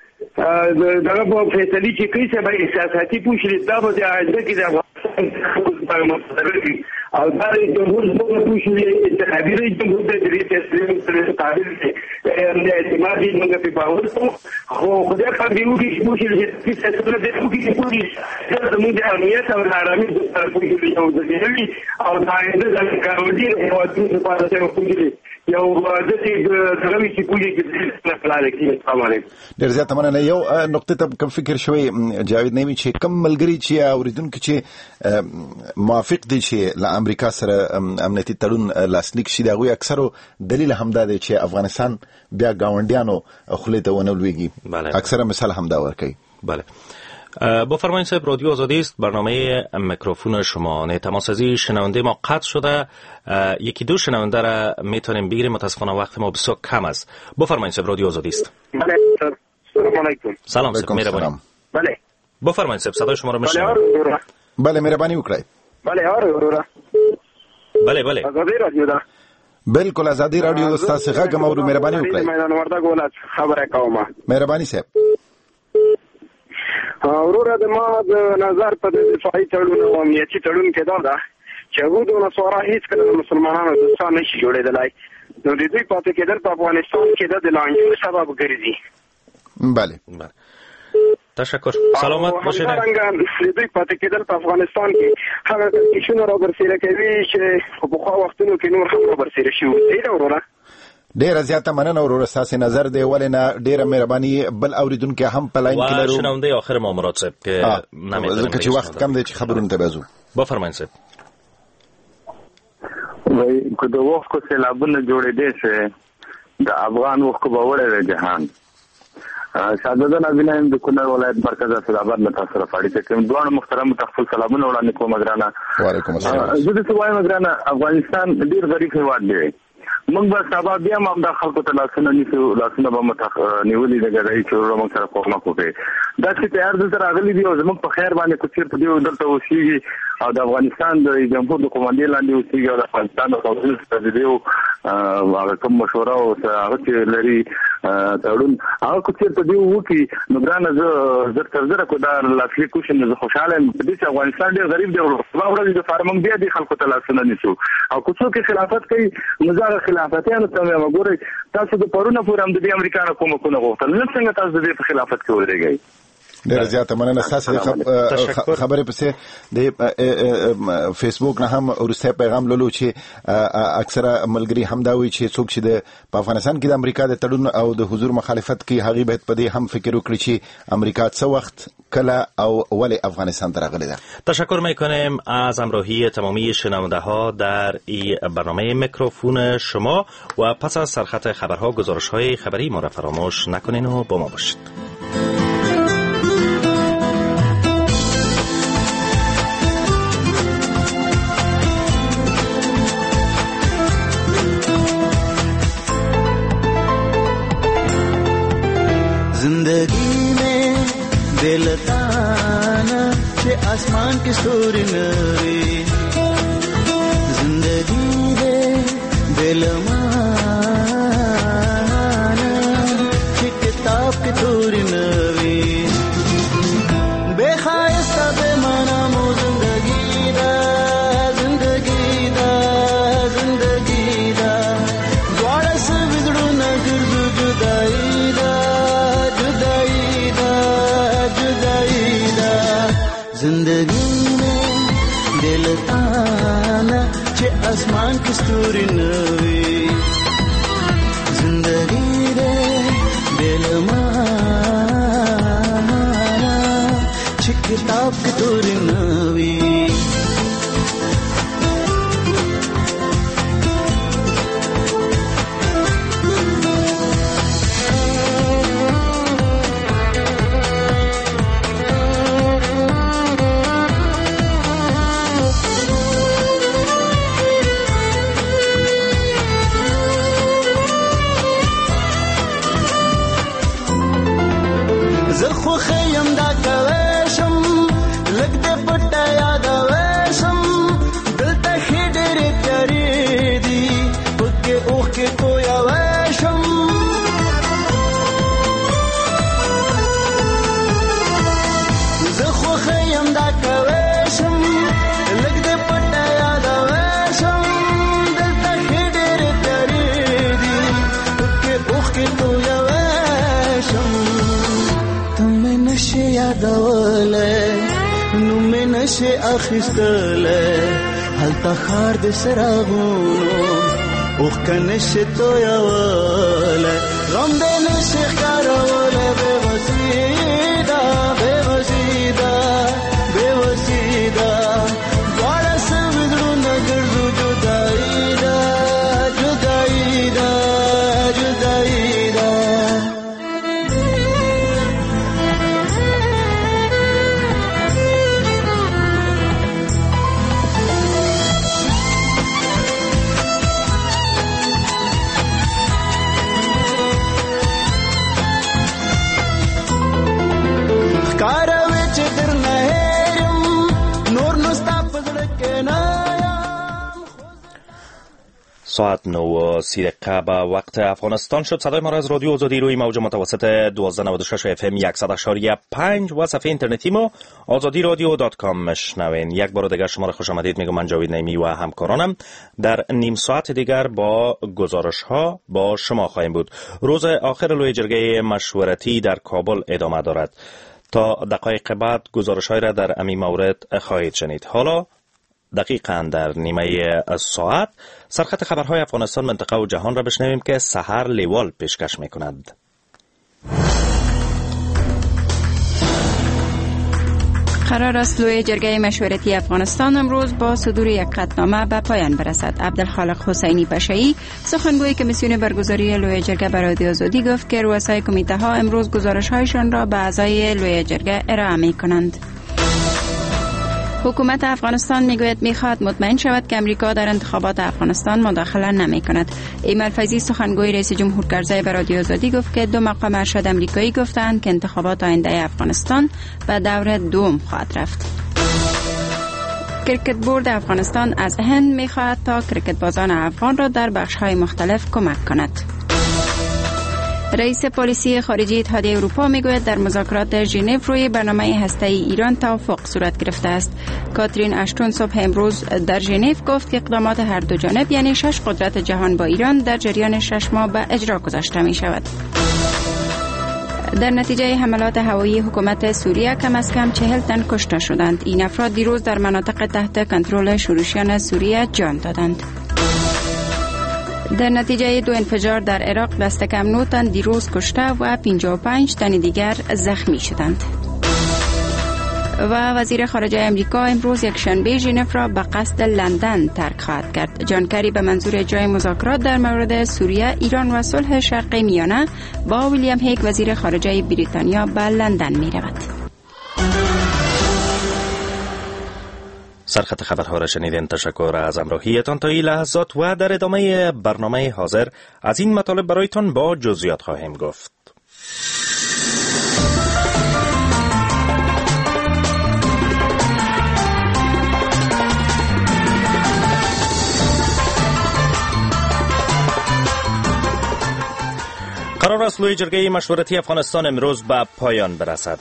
Speaker 8: دغه په فیصلې چې کوي چې به احساساتي پوښلي دا به د آینده کې د افغانستان لپاره مضر وي. او دا جمهور زموږ پوښلي انتخابي رئیس جمهور دی، د دې فیصلې قابل دی، د اعتماد یې موږ پرې باور کوو. خو خدای پاک دې وکړي چې پوښلي چې فیصله دې وکړي چې پوښلي زموږ د امنیت او د ارامۍ لپاره پوښلي یو ځل وي او د آینده د ګاونډي هېوادونو لپاره چې پوښلي یو داسې دغه وي چې پوښلي چې پلان کړي. السلام علیکم.
Speaker 6: ډېر زیاته مننه. یو نقطه ته کوم فکر شوی جاوید نعیمي چې کوم ملګري چې اوریدونکي چې موافق دي چې له امریکا سره امنیتي تړون لاسلیک شي، د هغوی اکثرو دلیل هم دا دی چې افغانستان بیا ګاونډیانو خولې ته ونه لوېږي. اکثره مثال هم دا ورکوي.
Speaker 1: بله. بفرمایید صاحب، رادیو آزادی است، برنامه میکروفون شما. نه تماس از شنونده ما قطع شده، یکی دو شنونده را میتونیم بگیریم، متاسفانه وقت ما بسیار کم است. بفرمایید صاحب، رادیو آزادی است.
Speaker 8: بله، سلام علیکم.
Speaker 1: سلام صاحب، مهربانی.
Speaker 8: بله
Speaker 1: بفرمایید صاحب، صدای شما را میشنویم.
Speaker 6: بله مهربانی وکړئ.
Speaker 8: بله آره وروره.
Speaker 1: بله بله
Speaker 8: ازادي رادیو ده.
Speaker 6: بالکل ازادي رادیو د ستاسو غږ مو، مهرباني وکړئ.
Speaker 8: میدان وردګ ولایت خبره کوم.
Speaker 6: مهرباني صاحب.
Speaker 8: وروره د ما د نظر په دفاعي تړون او امنیتي تړون کې دا ده چې یهود او نصارا هیڅکله د مسلمانانو دوستان نشي جوړېدلی، نو د دوی پاتې کېدل په افغانستان کې د لانجو سبب ګرځي.
Speaker 6: بله
Speaker 1: بله تشکر، سلامت باشید.
Speaker 8: همدارنګه د دوی پاتې کېدل په افغانستان کې هغه کړکېچونه رابرسېره کوي چې په پخوا وختونو کې نور هم رابرسېره شوي وو. صحیح ده وروره؟
Speaker 6: ډیره زیاته مننه وروره، ستاسو نظر دی ولې نه، ډیره مهرباني. بل اوریدونکی هم په لاین کې لرو.
Speaker 1: شنونده آخر ما مراد صاحب که نمی‌دونم
Speaker 6: ځکه چې وخت کم دی چې خبرونه ته بزو.
Speaker 1: بفرمایئ صاحب.
Speaker 12: وای که د وخت سیلابونه جوړېدې شي د افغان وخت به وړی دی جهان. شاهزاده نازیلا یم د کونړ ولایت مرکز اسداباد له تاسو سره په اړیکه کې یم. دواړو محترمو ته خپل سلامونه وړاندې کوم. ګرانه
Speaker 6: وعلیکم السلام.
Speaker 12: زه داسې وایم ګرانه، افغانستان ډېر غریب هېواد دی. موږ به سبا بیا هم همدا خلکو ته لاسونه نیسو، لاسونه به مو نیولي د ګدایي چې وروره موږ سره کومک وکړي. داسې تیار دلته راغلي دي او زموږ په خیر باندې که چېرته دوی دلته اوسېږي او د افغانستان د جمهور د قومندې لاندې اوسېږي او د افغانستان د قوانینو سره د دوی هغه کوم مشوره او هغه چې لري تړون، هغه که چېرته دوی وکړي نو ګرانه زه زر تر زره که دا لاسلیک وشي نو زه خوشحاله یم. په دې چې افغانستان ډېر غریب دی، سبا ورځې دپاره موږ بیا دې خلکو ته لاسونه نیسو او که څوک یې خلافت کوي نو زه هغه خلافتیانو ته وایم ګورئ تاسو د پرونه پورې هم د دې امریکا نه کومکونه غوښتل، نن څنګه تاسو د دې په خلافت کې ودرېږئ؟
Speaker 6: ډیره زیاته مننه ستاسو د خبرې پسې د فیسبوک نه هم وروستی پیغام لولو چې اکثره ملګري هم دا وایي چې څوک چې د په افغانستان کې د امریکا د تړون او د حضور مخالفت کوي هغوی باید په دې هم فکر وکړي چې امریکا څه وخت کله او ولې افغانستان ته راغلې ده.
Speaker 1: تشکر میکنیم از همراهی تمامی شنونده ها در این برنامه میکروفون شما و پس از سرخط خبرها گزارش های خبری ما را فراموش نکنین و با ما باشید.
Speaker 13: زندگی میں دل تانا چې آسمان کې ستوري نه وي، زندگی دې دل مانا چې کتاب کې توري نه وي، بے ښایسته بے معنا مو زندگی ده، زندگی ده، زندگی ده، دواړه سوي زړونه ګرځو جدایي ده، زندگی میں دل تانا چې اسمان کې ستوري نه وي، زندگی دې دل مانا چې کتاب کې توري نه وي. زه خوښ یم دا کوی شم، لږ دې پټه یادوی شم، دلته ښې ډېرې تیارې دي پکې اوښکې تویوی شم. زه خوښ یم دا کوی شم، لږ دې پټه یادوی شم، دلته ښې ډېرې تیارې دي پکې اوښکې تویوی شم. نشي یادولی نوم مې نشي اخیستلی، هلته ښار د څراغونو اوښکه نشي تویولی، غم دې نشي ښکارولی، بې وسي ده، بې وسي ده، بې وسي ده، دواړه سوي زړونه ګرځو جدایي ده، جدایي ده، جدایي ده. کې نه.
Speaker 1: ساعت نه و سی دقیقه به وقت افغانستان شد. صدای ما را از رادیو آزادی روی موج متوسط دوازده نود و شش اف ام صد و پنج و صفحه اینترنتی ما آزادی رادیو dot com مشنوین. یک بار دیگر شما را خوش آمدید میگم. من جاوید نعیمی و همکارانم در نیم ساعت دیگر با گزارش ها با شما خواهیم بود. روز آخر لوی جرگه مشورتی در کابل ادامه دارد. تا دقایق بعد گزارش های را در همین مورد خواهید شنید. حالا دقیقاً در نیمه ساعت سرخط خبرهای افغانستان، منطقه و جهان را بشنویم که سحر لیوال پیشکش میکند.
Speaker 2: قرار است لوی جرگه مشورتی افغانستان امروز با صدور یک قطعنامه به پایان برسد. عبدالخالق حسینی پشه‌ای، سخنگوی کمیسیون برگزاری لوی جرگه برای آزادی، گفت که رؤسای کمیته ها امروز گزارش هایشان را به اعضای لوی جرگه ارائه می کنند. حکومت افغانستان میگوید میخواهد مطمئن شود که امریکا در انتخابات افغانستان مداخله نمی کند. ایمل فیضی، سخنگوی رئیس جمهور کرزی، به رادیو آزادی گفت که دو مقام ارشد امریکایی گفتند که انتخابات آینده افغانستان به دور دوم خواهد رفت. کرکت بورد افغانستان از هند میخواهد تا کرکت بازان افغان را در بخش‌های مختلف کمک کند. رئیس پالیسی خارجی اتحادیه اروپا میگوید در مذاکرات ژنو روی برنامه هسته‌ای ایران توافق صورت گرفته است. کاترین اشتون صبح امروز در ژنو گفت که اقدامات هر دو جانب، یعنی شش قدرت جهان با ایران، در جریان شش ماه به اجرا گذاشته می شود. در نتیجه حملات هوایی حکومت سوریه کم از کم چهل تن کشته شدند. این افراد دیروز در مناطق تحت کنترل شورشیان سوریه جان دادند. در نتیجه دو انفجار در عراق دست کم نه تن دیروز کشته و پنجاه و پنج تن دیگر زخمی شدند. و وزیر خارجه امریکا امروز یک شنبه ژنو را به قصد لندن ترک خواهد کرد. جان کری به منظور اجرای مذاکرات در مورد سوریه، ایران و صلح شرق میانه با ویلیام هیگ وزیر خارجه بریتانیا به لندن می رود.
Speaker 1: سرخط خبرها را شنیدین. تشکر از همراهیتان تا این لحظات و در ادامه برنامه حاضر از این مطالب برایتان با جزئیات خواهیم گفت. قرار است لوی جرگه مشورتی افغانستان امروز به پایان برسد.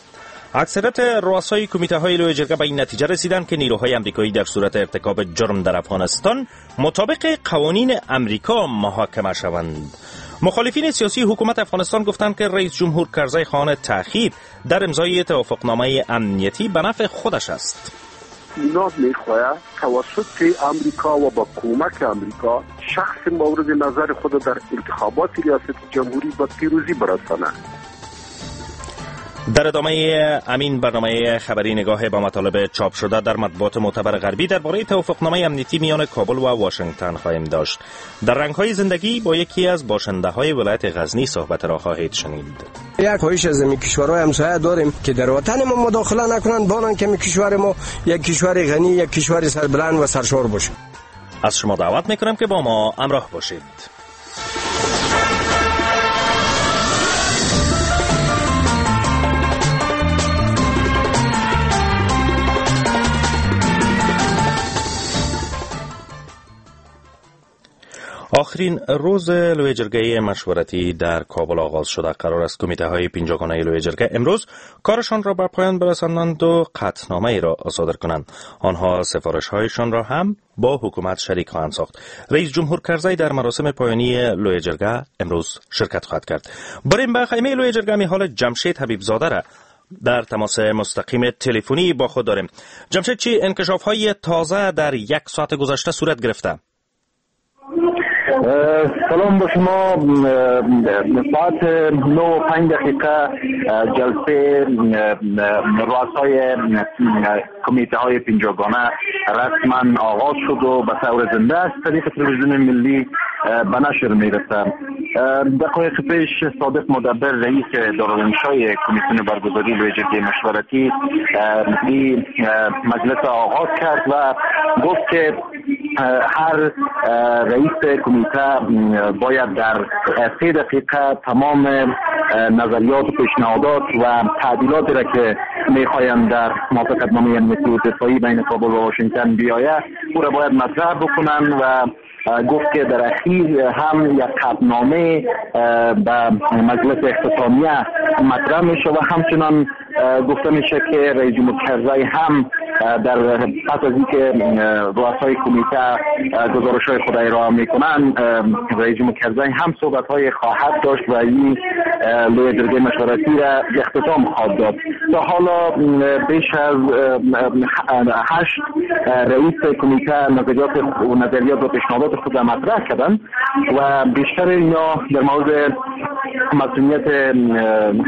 Speaker 1: اکثریت رؤسای کمیته های لوی جرگه به این نتیجه رسیدند که نیروهای امریکایی در صورت ارتکاب جرم در افغانستان مطابق قوانین امریکا محاکمه شوند. مخالفین سیاسی حکومت افغانستان گفتند که رئیس جمهور کرزی خواهان تأخیر در امضای توافقنامه امنیتی به نفع خودش است.
Speaker 14: اینا میخواهد توسط امریکا و با کمک امریکا شخص مورد نظر خود در انتخابات ریاست جمهوری به پیروزی برساند.
Speaker 1: در ادامه امین برنامه خبری نگاه به مطالب چاپ شده در مطبوعات معتبر غربی درباره توافقنامه امنیتی میان کابل و واشنگتن خواهیم داشت. در رنگ‌های زندگی با یکی از باشنده‌های ولایت غزنی صحبت را خواهید شنید.
Speaker 15: یک خواهش از این کشورهای همسایه داریم که در وطن ما مداخله نکنند، بانند که کشور ما یک کشور غنی، یک کشور سربلند و سرشار باشه.
Speaker 1: از شما دعوت میکنم که با ما همراه باشید. آخرین روز لوی جرگه مشورتی در کابل آغاز شده. قرار است کمیته های پنجاگانه لوی جرگه امروز کارشان را به پایان برسانند و قطعنامه ای را صادر کنند. آنها سفارش هایشان را هم با حکومت شریک خواهند ساخت. رئیس جمهور کرزی در مراسم پایانی لوی جرگه امروز شرکت خواهد کرد. بریم به خیمه لوی جرگه. میحال جمشید حبیب زاده را در تماس مستقیم تلفنی با خود داریم. جمشید، چی انکشاف های تازه در یک ساعت گذشته صورت گرفته؟
Speaker 12: سلام با شما. ساعت نه و پنج دقیقه جلسه رؤسای کمیته های پنجاگانه رسما آغاز شد و به طور زنده از طریق تلویزیون ملی به نشر میرسه. دقایق پیش صادق مدبر رئیس دارالانشای کمیسیون برگزاری لوی جرگه مشورتی این مجلس آغاز کرد و گفت که هر رئیس کمیته باید در سه دقیقه تمام نظریات و پیشنهادات و تعدیلات را که
Speaker 16: میخواهند در موافقتنامه امنیتی و دفاعی بین کابل و واشنگتن بیاید او را باید مطرح بکنن و گفت که در اخیر هم یک قطعنامه به مجلس اختتامیه مطرح میشه و همچنان گفته میشه که رئیس جمهور کرزی هم در پس از اینکه رؤسای کمیته گزارش های خود ارائه میکنن، رئیس جمهور کرزی هم صحبت های خواهد داشت و این لوی جرگه مشورتی را اختتام خواهد داد. تا حالا بیش از هشت رئیس کمیته نظریات و نظریات و پیشنهادات خود را مطرح کردن و بیشتر اینا در مورد مسئولیت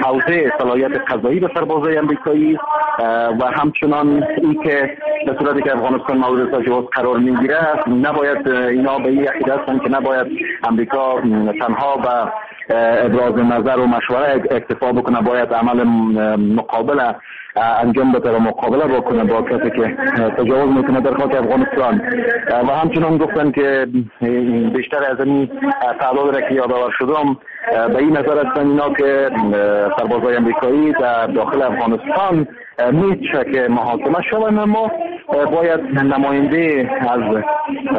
Speaker 16: حوزه صلاحیت قضایی به سربازای امریکایی و همچنان این که به صورتی که افغانستان مورد تجاوز قرار میگیره نباید اینا به این عقیده هستند که نباید امریکا تنها به ابراز نظر و مشوره اکتفا بکنه، باید عمل مقابله انجام بده و مقابله بکنه با کسی که تجاوز میکنه در خاک افغانستان. و همچنان گفتن که بیشتر از این تعداد را که یادآور شدم به این نظر هستن اینا که سربازای امریکایی در داخل افغانستان میشه که محاکمه شوند، اما باید نماینده از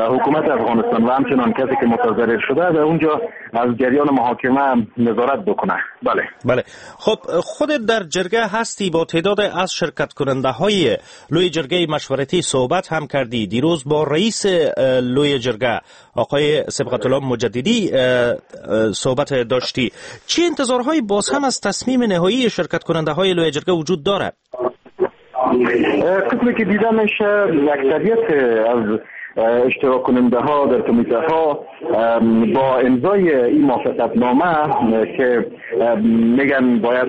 Speaker 16: حکومت افغانستان و همچنان کسی که متضرر شده در اونجا از جریان محاکمه نظارت بکنه. بله
Speaker 1: بله. خب خودت در جرگه هستی، با تعداد از شرکت کننده های لوی جرگه مشورتی صحبت هم کردی. دیروز با رئیس لوی جرگه آقای صبغت الله مجددی صحبت داشتی. چه انتظارهایی باز هم از تصمیم نهایی شرکت کننده های لوی جرگه وجود دارد؟
Speaker 16: قسمی که دیده میشه اکثریت از اشتراک کننده ها در کمیته ها با امضای این موافقت نامه که میگن باید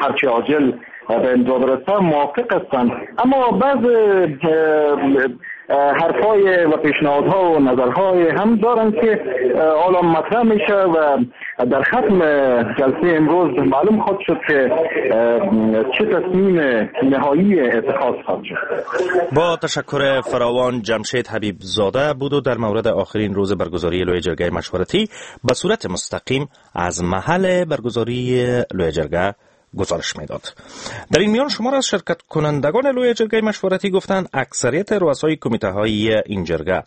Speaker 16: هرچی عاجل به امضا برسه موافق هستند، اما بعض حرفای و پیشنهادها و نظرهای هم دارن که حالا مطرح میشه و در ختم جلسه امروز معلوم خواهد شد که چه تصمیم نهایی اتخاذ خواهد شد.
Speaker 1: با تشکر فراوان جمشید حبیب زاده بود و در مورد آخرین روز برگزاری لوی جرگه مشورتی به صورت مستقیم از محل برگزاری لوی جرگه گزارش میداد. در این میان شمار از شرکت کنندگان لوی جرگه مشورتی گفتند اکثریت رؤسای کمیته های این جرگه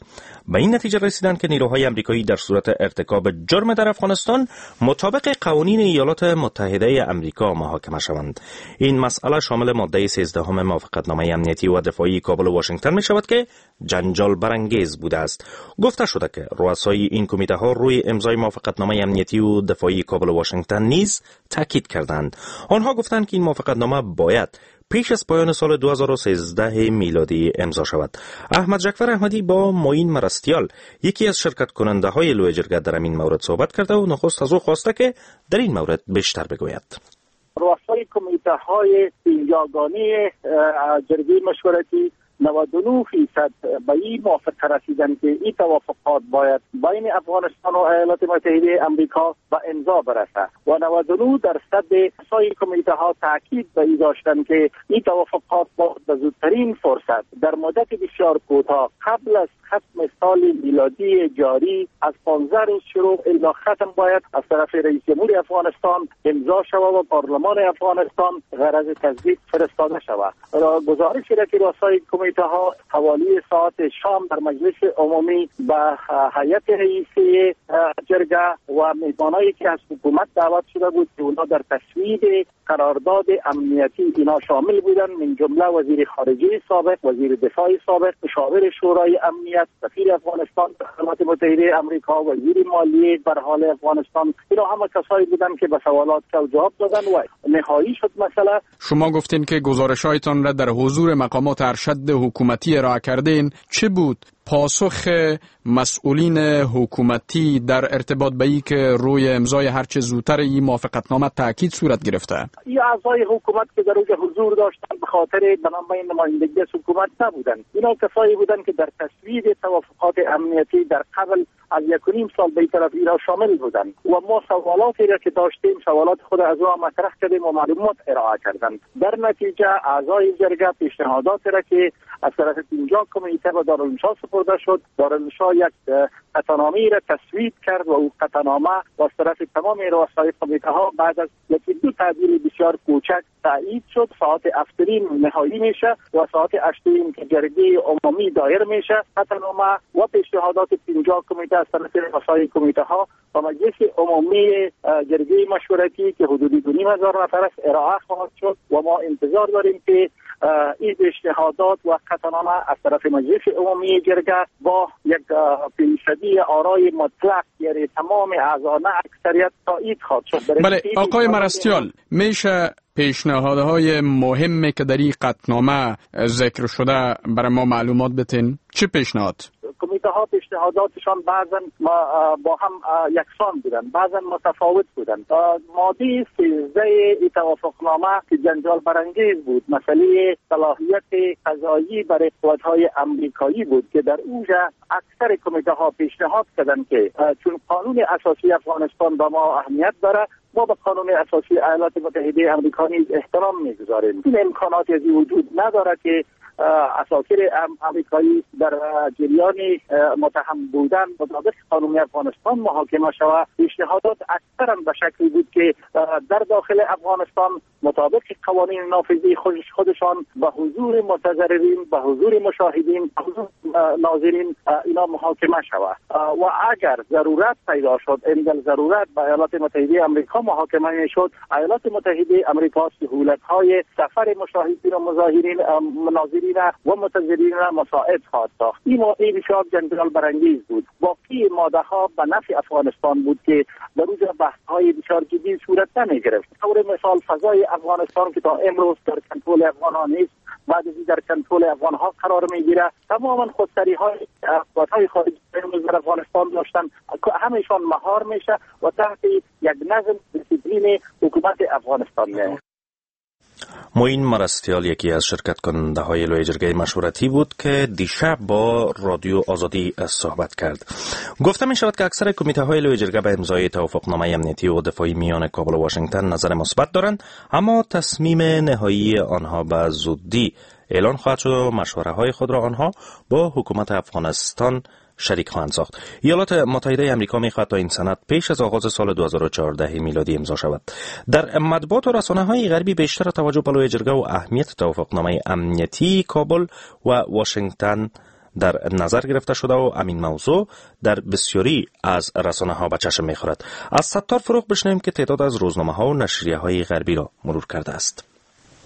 Speaker 1: به این نتیجه رسیدند که نیروهای امریکایی در صورت ارتکاب جرم در افغانستان مطابق قوانین ایالات متحده امریکا محاکمه شوند. این مسئله شامل ماده سیزدهم موافقتنامه امنیتی و دفاعی کابل و واشنگتن می شود که جنجال برانگیز بوده است. گفته شده که رؤسای این کمیته ها روی امضای موافقتنامه امنیتی و دفاعی کابل و واشنگتن نیز تاکید کردند. آنها گفتند که این موافقتنامه باید پیش از پایان سال دو هزار و سیزده میلادی امضا شود. احمد جعفر احمدی با معین مرستیال یکی از شرکت کننده های لوی جرگه در این مورد صحبت کرده و نخست از او خواسته که در این مورد بیشتر بگوید.
Speaker 17: رؤسای کمیته های پنجاگانه جرگه مشورتی نود و نه فیصد به این موافقه رسیدن که این توافقات باید بین افغانستان و ایالات متحده امریکا به امضا برسه و نود و نه درصد سایر کمیته ها تاکید به این داشتن که این توافقات باید به زودترین فرصت در مدت بسیار کوتاه قبل از ختم سال میلادی جاری از پانزده روز شروع الی ختم باید از طرف رئیس جمهور افغانستان امضا شود و پارلمان افغانستان غرض تصدیق فرستاده شود. گزارش را که رؤسای کمیته ها حوالی ساعت شام در مجلس عمومی به هیئت رئیسی جرگه و میهمانایی که از حکومت دعوت شده بود که اونا در تصویب قرارداد امنیتی اینا شامل بودند، من جمله وزیر خارجه سابق، وزیر دفاع سابق، مشاور شورای امنیت، سفیر افغانستان در ایالات متحده امریکا، وزیر مالیه بر حال افغانستان، اینا همه کسایی بودند که به سوالات جواب دادن و نهایی شد مسئله.
Speaker 18: شما گفتین که گزارش‌هایتان را در حضور مقامات ارشد حکومتی ارائه کردین. چه بود پاسخ مسئولین حکومتی در ارتباط به این که روی امضای هرچه زودتر این موافقتنامه تاکید صورت گرفته؟
Speaker 17: این اعضای حکومت که در اوج حضور داشتند به خاطر به نمایندگی از حکومت نبودند. اینا کسایی بودند که در تصویب توافقات امنیتی در قبل از یک و نیم سال به این طرف اینا شامل بودند و ما سوالاتی را که داشتیم سوالات خود از او مطرح کردیم و معلومات ارائه کردند. در نتیجه اعضای جرگه پیشنهادات را که از طرف پنجاه کمیته به دارالانشا سپرده سپرده شد. دارالانشا یک قطعنامه را تصویب کرد و او قطعنامه از طرف تمام رؤسای کمیته ها بعد از یکی دو تعدیل بسیار کوچک تایید شد. ساعت هفت و نیم نهایی میشه و ساعت هشت و نیم که جرگه عمومی دایر میشه قطعنامه و پیشنهادات پنجاه کمیته از طرف رؤسای کمیته ها و مجلس عمومی جرگه مشورتی که حدود دو نیم هزار نفر است ارائه خواهد شد و ما انتظار داریم که این پیشنهادات و قطعنامه از طرف مجلس عمومی جرگه با یک فیصدی آرای مطلق، یعنی تمام اعضا نه اکثریت، تایید خواهد شد.
Speaker 18: بله آقای مرستیال، میشه پیشنهادهای مهمی که در این قطعنامه ذکر شده برای ما معلومات بتین؟ چه پیشنهاد؟
Speaker 17: کمیته ها پیشنهاداتشان بعضا با هم یکسان بودن، بعضا متفاوت بودن. ماده سیزده ای توافقنامه که جنجال برانگیز بود، مسئله صلاحیت قضایی برای قوت‌های امریکایی بود که در اونجا اکثر کمیته ها پیشنهاد کردند که چون قانون اساسی افغانستان به ما اهمیت داره، ما به قانون اساسی ایالات متحده امریکا نیز احترام میگذاریم. این امکانات از وجود نداره که اساکیر امریکایی در جریان متهم بودن مطابق قانون افغانستان محاکمه شود. پیشنهادات اکثرا به شکلی بود که در داخل افغانستان مطابق قوانین نافذی خودشان به حضور متضررین، به حضور مشاهدین، به حضور ناظرین اینا محاکمه شود و اگر ضرورت پیدا شد، عند ضرورت به ایالات متحده امریکا محاکمه میشد. ایالات متحده امریکا سهولت‌های سفر مشاهدین و مظاهرین ناظرین و متضررین را مساعد خواهد ساخت. این ماده بسیار جنجال برانگیز بود. باقی ماده ها به نفع افغانستان بود که در روز بحث های بسیار جدی صورت نمی گرفت. طور مثال فضای افغانستان که تا امروز در کنترل افغان ها نیست، بعد از در کنترل افغان ها قرار میگیره. تماما خودسری های قوت خارجی در افغانستان داشتن همیشان مهار میشه و تحت یک نظم دیسیپلین حکومت افغانستان میه.
Speaker 1: معین مرستیال یکی از شرکت کننده های لویه جرگه مشورتی بود که دیشب با رادیو آزادی صحبت کرد. گفته می شود که اکثر کمیته های لویه جرگه به امضای توافقنامه امنیتی و دفاعی میان کابل و واشنگتن نظر مثبت دارند، اما تصمیم نهایی آنها به زودی اعلان خواهد شد و مشوره های خود را آنها با حکومت افغانستان شریک خواهند ساخت. ایالات متحده آمریکا می‌خواهد تا این سند پیش از آغاز سال دو هزار و چهارده میلادی امضا شود. در مطبوعات و رسانه‌های غربی بیشتر توجه به لویه جرگه و اهمیت توافقنامه امنیتی کابل و واشنگتن در نظر گرفته شده و همین موضوع در بسیاری از رسانه‌ها به چشم می‌خورد. از ستار فروغ بشنویم که تعداد از روزنامه‌ها و نشریه‌های غربی را مرور کرده است.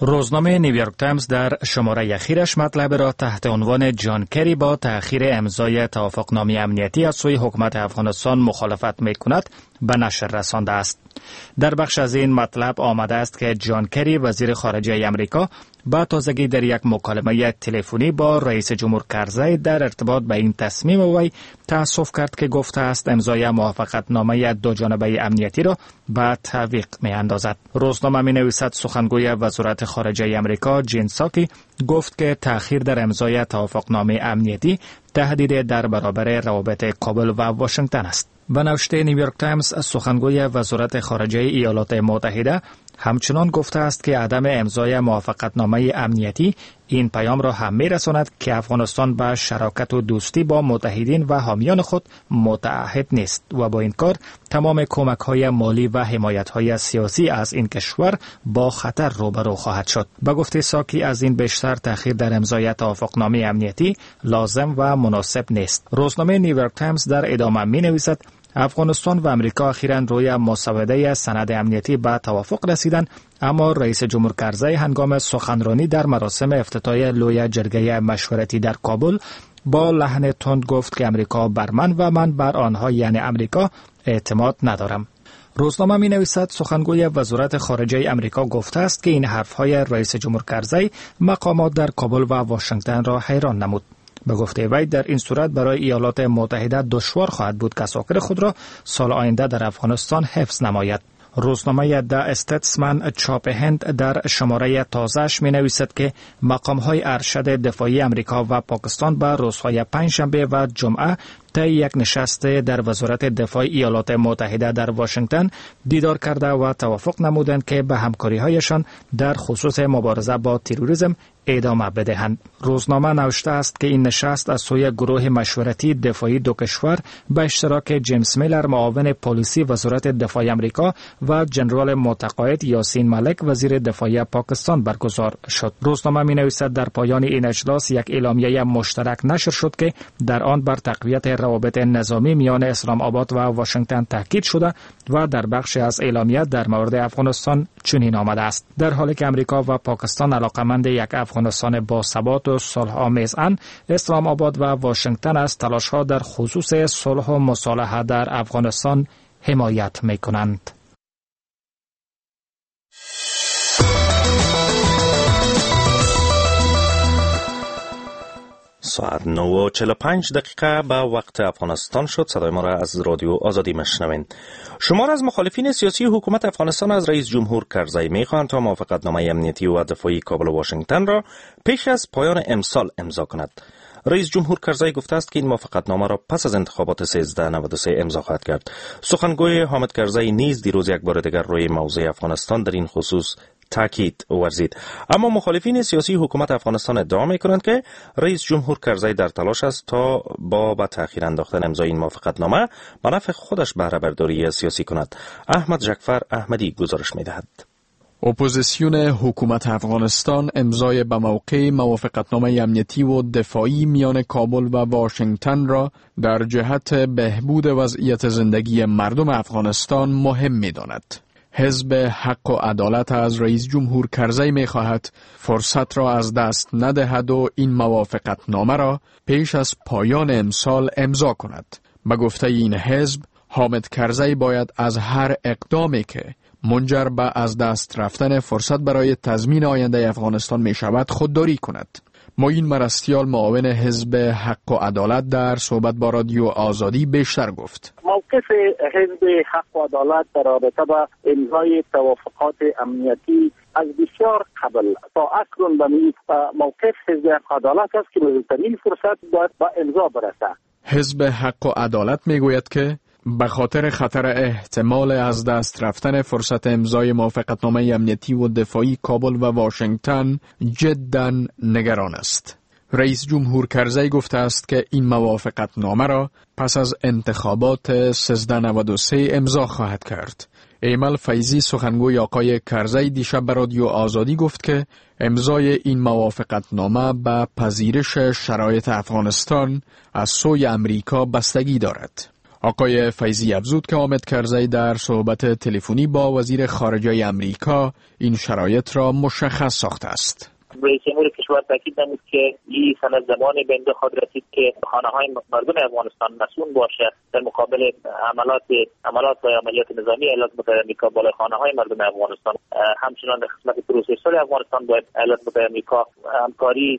Speaker 19: روزنامه نیویورک تایمز در شماره اخیرش مطلب را تحت عنوان جان کری با تأخیر امضای توافقنامه امنیتی از سوی حکومت افغانستان مخالفت می‌کند به نشر رسانده است. در بخش از این مطلب آمده است که جان کری وزیر خارجه امریکا با تازگی در یک مکالمه تلفنی با رئیس جمهور کرزی در ارتباط به این تصمیم وی تأسف کرد که گفته است امضای موافقتنامه دو جانبه امنیتی را به تعویق می اندازد. روزنامه می نویسد سخنگوی وزارت خارجه امریکا جین ساکی گفت که تأخیر در امضای توافقنامه امنیتی تهدید در برابر روابط کابل و واشنگتن است. به نوشته نیویورک تایمز سخنگوی وزارت خارجه ایالات متحده همچنان گفته است که عدم امضای موافقتنامه امنیتی این پیام را هم می‌رساند که افغانستان به شراکت و دوستی با متحدین و حامیان خود متعهد نیست و با این کار تمام کمک‌های مالی و حمایت‌های سیاسی از این کشور با خطر روبرو خواهد شد. به گفته ساکی از این بیشتر تأخیر در امضای توافقنامه امنیتی لازم و مناسب نیست. روزنامه نیویورک تایمز در ادامه می‌نویسد افغانستان و امریکا اخیراً روی مسوده سند امنیتی به توافق رسیدند، اما رئیس جمهور کرزی هنگام سخنرانی در مراسم افتتاح لویه جرگه مشورتی در کابل با لحن تند گفت که امریکا بر من و من بر آنها یعنی امریکا اعتماد ندارم. روزنامه می نویسد سخنگوی وزارت خارجه امریکا گفته است که این حرفهای رئیس جمهور کرزی مقامات در کابل و واشنگتن را حیران نمود. به گفته وی در این صورت برای ایالات متحده دشوار خواهد بود که ساکر خود را سال آینده در افغانستان حفظ نماید. روزنامه د استتسمن چاپ هند در شماره تازه‌اش می نویسد که مقام‌های ارشد دفاعی امریکا و پاکستان به روزهای پنجشنبه و جمعه طی یک نشست در وزارت دفاع ایالات متحده در واشنگتن دیدار کرده و توافق نمودند که به همکاری‌هایشان در خصوص مبارزه با تروریسم ادامه بدهند. روزنامه نوشته است که این نشست از سوی گروه مشورتی دفاعی دو کشور به اشتراک جیمز میلر معاون پلیسی وزارت دفاع امریکا و جنرال متقاعد یاسین ملک وزیر دفاع پاکستان برگزار شد. روزنامه می نویسد در پایان این اجلاس یک اعلامیه مشترک نشر شد که در آن بر تقویت روابط نظامی میان اسلام آباد و واشنگتن تاکید شده و در بخش از اعلامیه در مورد افغانستان چنین آمده است: در حالی که امریکا و پاکستان علاقمند یک افغانستان با ثبات و صلح آمیزند، اسلام آباد و واشنگتن از تلاش‌ها در خصوص صلح و مصالحه در افغانستان حمایت می‌کنند.
Speaker 1: ساعت نه و چهل و پنج دقیقه به وقت افغانستان شد. صدای ما را از رادیو آزادی مشنوین. شمار از مخالفین سیاسی حکومت افغانستان از رئیس جمهور کرزی میخواهند تا موافقتنامه امنیتی و دفاعی کابل و واشنگتن را پیش از پایان امسال امضا کند. رئیس جمهور کرزی گفته است که این موافقتنامه را پس از انتخابات سیزده نود و سه امضا خواهد کرد. سخنگوی حامد کرزی نیز دیروز یک بار دیگر روی موضوع افغانستان در این خصوص تاکید ورزید. اما مخالفین سیاسی حکومت افغانستان ادعا میکنند که رئیس جمهور کرزی در تلاش است تا با به تأخیر انداختن امضای این موافقتنامه به نفع خودش بهره برداری سیاسی کند. احمد جعفر احمدی گزارش میدهد.
Speaker 18: اپوزیسیون حکومت افغانستان امضای به موقع موافقتنامه امنیتی و دفاعی میان کابل و واشنگتن را در جهت بهبود وضعیت زندگی مردم افغانستان مهم می‌داند. حزب حق و عدالت از رئیس جمهور کرزی می‌خواهد فرصت را از دست ندهد و این موافقتنامه را پیش از پایان امسال امضا کند. به گفته این حزب، حامد کرزی باید از هر اقدامی که منجر به از دست رفتن فرصت برای تضمین آینده افغانستان می شود خودداری کند. معین مرستیال معاون حزب حق و عدالت در صحبت با رادیو آزادی بیشتر گفت:
Speaker 17: موقف حزب حق و عدالت در رابطه با امضای توافقات امنیتی از بسیار قبل تا اکنون به موقف حزب حق و عدالت است که بزرگترین فرصت باید با امضا برسد.
Speaker 18: حزب حق و عدالت می گوید که به خاطر خطر احتمال از دست رفتن فرصت امضای موافقتنامه امنیتی و دفاعی کابل و واشنگتن جداً نگران است. رئیس جمهور کرزی گفته است که این موافقتنامه را پس از انتخابات سیزده نود و سه امضا خواهد کرد. ایمل فیضی سخنگوی آقای کرزی دیشب به رادیو آزادی گفت که امضای این موافقتنامه به پذیرش شرایط افغانستان از سوی امریکا بستگی دارد. آقای فیضی افزود که حامد کرزی در صحبت تلفنی با وزیر خارجه امریکا این شرایط را مشخص ساخته است.
Speaker 4: رئیس جمهور کشور تاکید نمود که این سند زمانی به امضا خواهد رسید که خانه‌های مردم افغانستان مسئول باشد در مقابل عملات عملات و عملیات نظامی ایالات متحده آمریکا بالای خانه‌های مردم افغانستان. همچنان در قسمت پروسه صلح افغانستان باید ایالات متحده آمریکا همکاری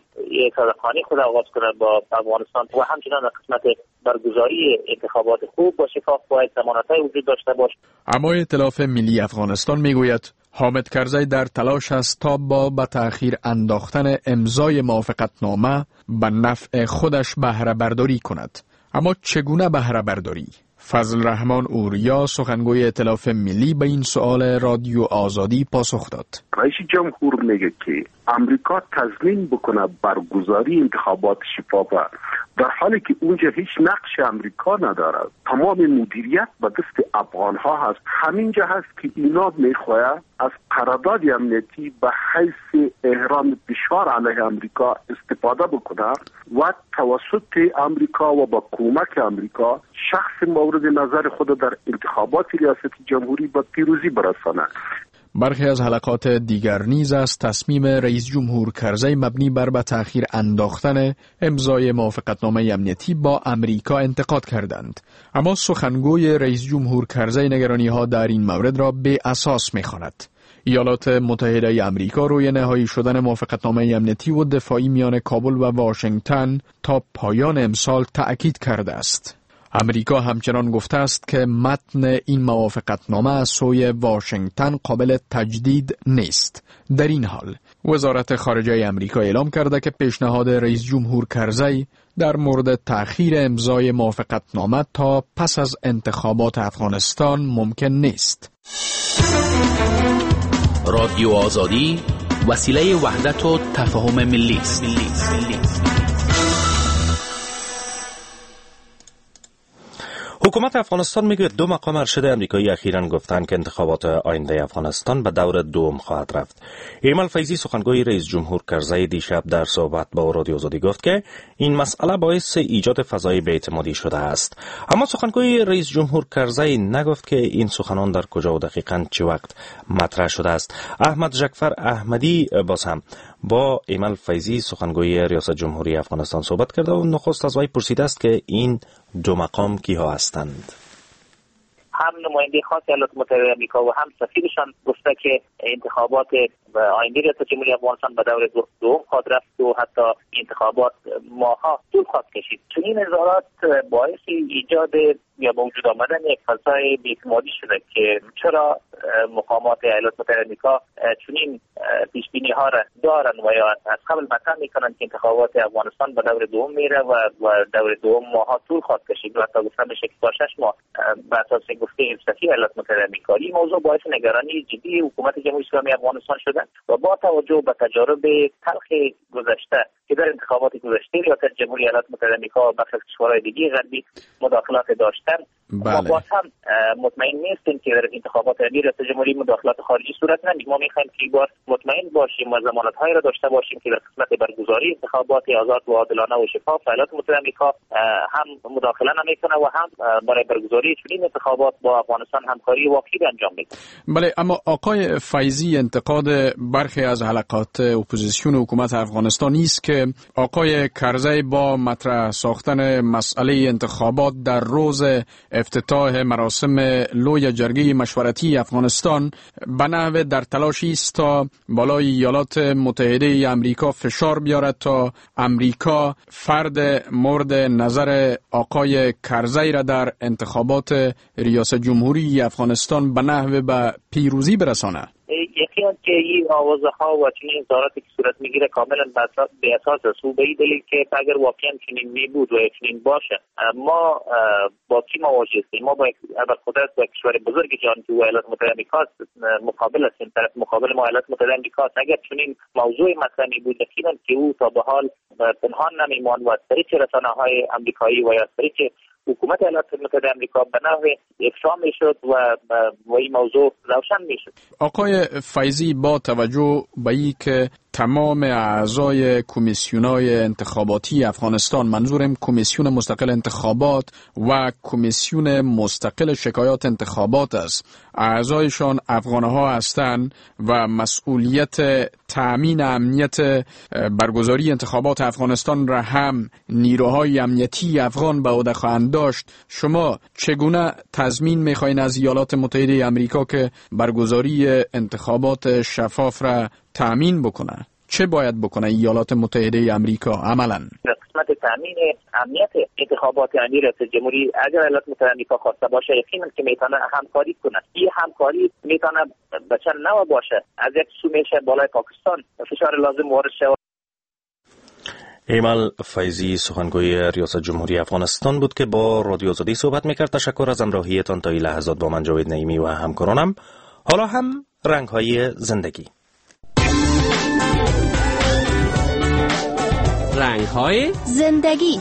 Speaker 4: صادقانه خود آغاز کند با افغانستان و همچنان در قسمت برگزاری انتخابات خوب با شفاف باید ضمانت‌های وجود داشته باشد.
Speaker 18: اما ائتلاف ملی افغانستان میگوید حامد کرزی در تلاش است تا با به تأخیر انداختن امضای موافقتنامه به نفع خودش بهره برداری کند. اما چگونه بهره برداری؟ فضل رحمان اوریا سخنگوی ائتلاف ملی به این سؤال رادیو آزادی پاسخ داد.
Speaker 14: رئیس جمهور میگه که امریکا تضمین بکنه برگزاری انتخابات شفاف، در حالی که اونجا هیچ نقش امریکا نداره، تمام مدیریت به دست افغان ها هست. همینجا هست که اینا میخواه از قرارداد امنیتی به حیث احرام فشار علیه امریکا استفاده بکنه و توسط امریکا و با کمک امریکا شخص مورد نظر خود در انتخابات ریاست جمهوری به پیروزی برسانه.
Speaker 18: برخی از حلقات دیگر نیز از تصمیم رئیس جمهور کرزی مبنی بر به تأخیر انداختن امضای موافقتنامه امنیتی با امریکا انتقاد کردند. اما سخنگوی رئیس جمهور کرزی نگرانی‌ها در این مورد را بی اساس می‌خواند. ایالات متحده امریکا روی نهایی شدن موافقتنامه امنیتی و دفاعی میان کابل و واشنگتن تا پایان امسال تأکید کرده است. امریکا همچنان گفته است که متن این موافقتنامه از سوی واشنگتن قابل تجدید نیست. در این حال وزارت خارجه امریکا اعلام کرده که پیشنهاد رئیس جمهور کرزی در مورد تأخیر امضای موافقتنامه تا پس از انتخابات افغانستان ممکن نیست.
Speaker 20: رادیو آزادی وسیله وحدت و تفاهم ملی است.
Speaker 1: حکومت افغانستان میگوید دو مقام ارشد امریکایی اخیراً گفتند که انتخابات آینده افغانستان به دور دوم خواهد رفت. ایمل فیضی سخنگوی رئیس جمهور کرزی دیشب در صحبت با رادیو آزادی گفت که این مسئله باعث ایجاد فضای بی‌اعتمادی شده است. اما سخنگوی رئیس جمهور کرزی نگفت که این سخنان در کجا و دقیقاً چه وقت مطرح شده است. احمد جعفر احمدی باز هم با ایمل فیضی سخنگوی ریاست جمهوری افغانستان صحبت کرده و نخست از وی پرسیده است که این دو مقام کیها هستند.
Speaker 4: هم نماینده خاص ایالات متحده آمریکا و هم سفیرشان گفته که انتخابات آینده ریاست جمهوری افغانستان به دور دوم خواهد رفت و حتی انتخابات ماها طول خواهد کشید. چنین اظهارات باعث ایجاد یا به وجود آمدن یک فضای بی‌اعتمادی شده که چرا مقامات ایالات متحده آمریکا چنین پیش بینی ها را دارن و یا از قبل مطرح میکنند که انتخابات افغانستان به دور دوم میره و و دور دوم ماها طول خواهد کشید و حتی گفته میشه که تا شش ماه به اساس گفته سفیر ایالات متحده آمریکا. این موضوع باعث نگرانی جدی حکومت جمهوری اسلامی افغانستان شده و با توجه به تجارب تلخ گذشته که در انتخابات گذشته ریاست جمهوری ایالات متحده آمریکا و برخی از کشورهای دیگه غربی مداخلات داشتن، ما باز هم مطمئن نیستیم که در انتخابات ریاست جمهوری مداخلات خارجی صورت نمیگیره. ما میخوایم که بار مطمئن باشیم و ضمانت‌هایی را داشته باشیم که در قسمت برگزاری انتخابات آزاد و عادلانه و شفاف ایالات متحده آمریکا هم مداخله نمیکنه و هم برای برگزاری چنین انتخابات با افغانستان همکاری واقعی انجام میده.
Speaker 18: بله، اما آقای فیضی انتقاد برخی از حلقات اپوزیسیون حکومت افغانستان است که آقای کرزی با مطرح ساختن مسئله انتخابات در روز افتتاح مراسم لوی جرگه مشورتی افغانستان به نحو در تلاشی است تا بالای ایالات متحده امریکا فشار بیارد تا امریکا فرد مورد نظر آقای کرزی را در انتخابات ریاست جمهوری افغانستان به نحو به پیروزی برسانه.
Speaker 4: یقینا که این آوازه ها و چنین اظهاراتی که صورت میگیره کاملا به اساس است و به این دلیل که اگر واقعا چنین می بود و چنین باشه ما با کی مواجه هستیم؟ ما با ابرقدرت و کشور بزرگ جهان که ایالات متحده آمریکا مقابل هستیم. طرف مقابل ما ایالات متحده آمریکا. اگر چنین موضوع مطرح می بود یقینا که او تا به حال پنهان نمی‌ماند و از طریق رسانه‌های آمریکایی و یا از طریق حکومت ایالات متحده آمریکا به نحو افشا میشد و و این موضوع روشن میشد.
Speaker 18: آقای فیضی، با توجه به اینکه تمام اعضای کمیسیون‌های انتخاباتی افغانستان، منظورم کمیسیون مستقل انتخابات و کمیسیون مستقل شکایات انتخابات است، اعضایشان افغانها هستند و مسئولیت تأمین امنیت برگزاری انتخابات افغانستان را هم نیروهای امنیتی افغان به عهده خواهند داشت، شما چگونه تضمین می‌خواین از ایالات متحده آمریکا که برگزاری انتخابات شفاف را تأمین بکنه؟ چه باید بکنه ایالات متحده آمریکا عملاً؟
Speaker 4: در قسمت تأمین امنیت انتخابات ریاست جمهوری اگر ایالات متحده آمریکا خواسته باشه یقینا که میتونه همکاری کنه. این همکاری میتونه به چند نوع باشه. از یک سو میشه بالای پاکستان فشار لازم وارد شود.
Speaker 1: ایمل فیضی سخنگوی ریاست جمهوری افغانستان بود که با رادیو آزادی صحبت میکرد. تشکر از همراهیتان تا این لحظات با من جاوید نعیمی و همکارانم. حالا هم رنگ‌های زندگی.
Speaker 20: رنگ‌های
Speaker 5: زندگی.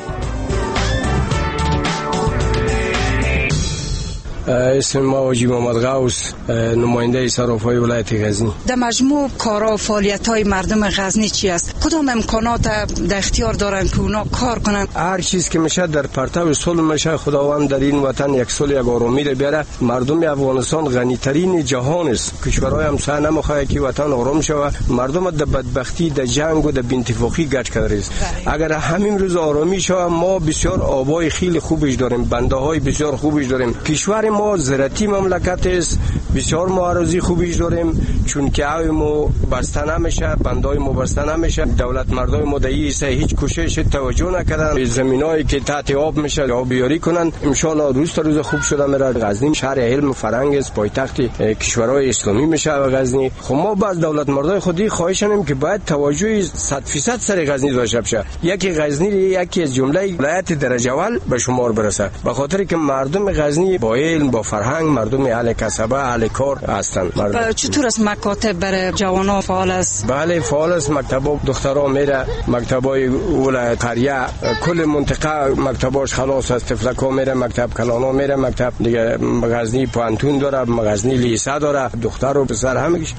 Speaker 15: اسم ما واجی محمد غوث، نماینده صرافای ولایت غزنی.
Speaker 21: در مجموع کارا و فعالیت‌های مردم غزنی چی است؟ کدام امکانات در اختیار دارن که اونا کار کنن؟
Speaker 15: هر چیز که میشه در پرتو صلح میشه. خداوند در این وطن یک صلح یک آرامی را بیاره. مردم افغانستان غنی ترین جهان است. کشورهای همسایه نمیخواد که وطن آرام شود. مردم در بدبختی، در جنگ و در بی‌اتفاقی گچ کرده است. اگر همین روز آرامی شود، ما بسیار آبای خیلی خوبش داریم، بنده های بسیار خوبش داریم. کشور ما زراعتی مملکت است، بسیار معارضی خوبیش داریم، چون که آب ما بسته نمیشه، بندای ما بسته نمیشه. دولت مردای ما در این هیچ کوشش توجه نکردن. زمینایی که تحت آب میشه آبیاری کنن. ان شاء الله روز تا روز خوب شده میره. غزنی شهر علم و فرهنگ است، پایتخت کشورهای اسلامی میشه غزنی. خب ما باز دولت مردای خودی خواهش کنیم که باید توجه صد درصد سر غزنی داشته باشه. یکی غزنی یکی از جمله ولایت درجه اول به شمار برسه، به خاطر که مردم غزنی با علم، با فرهنگ، مردم اهل کسبه، اهل کار هستند.
Speaker 21: مردم چطور است مکاتب برای جوانان فعال است؟
Speaker 15: بله فعال است. مکتب دخترها میره، مکتبای ولایت قریه کل منطقه مکتباش خلاص است. طفلکا میره مکتب، کلانا میره مکتب دیگه. غزنی پانتون داره، غزنی لیسه داره، دختر و پسر همگیش.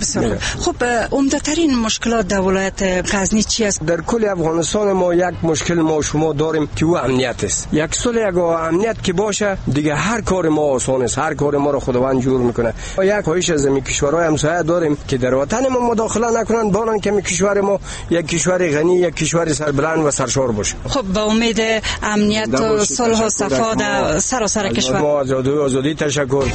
Speaker 21: خب عمده ترین مشکلات در ولایت غزنی چی است؟
Speaker 15: در کل افغانستان ما یک مشکل ما شما داریم که او امنیت است. یک سال یک امنیت که باشه دیگه هر کار ما آسان است، هر کار ما رو خداوند جور میکنه. یک خواهش از می کشورهای همسایه داریم که در وطن ما مداخله نکنن، بانن که می کشور ما یک کشور غنی، یک کشور سربلند و سرشار باشه.
Speaker 21: خب با امید امنیت و صلح و صفا در سراسر کشور.
Speaker 15: ما آزادی آزادی تشکر.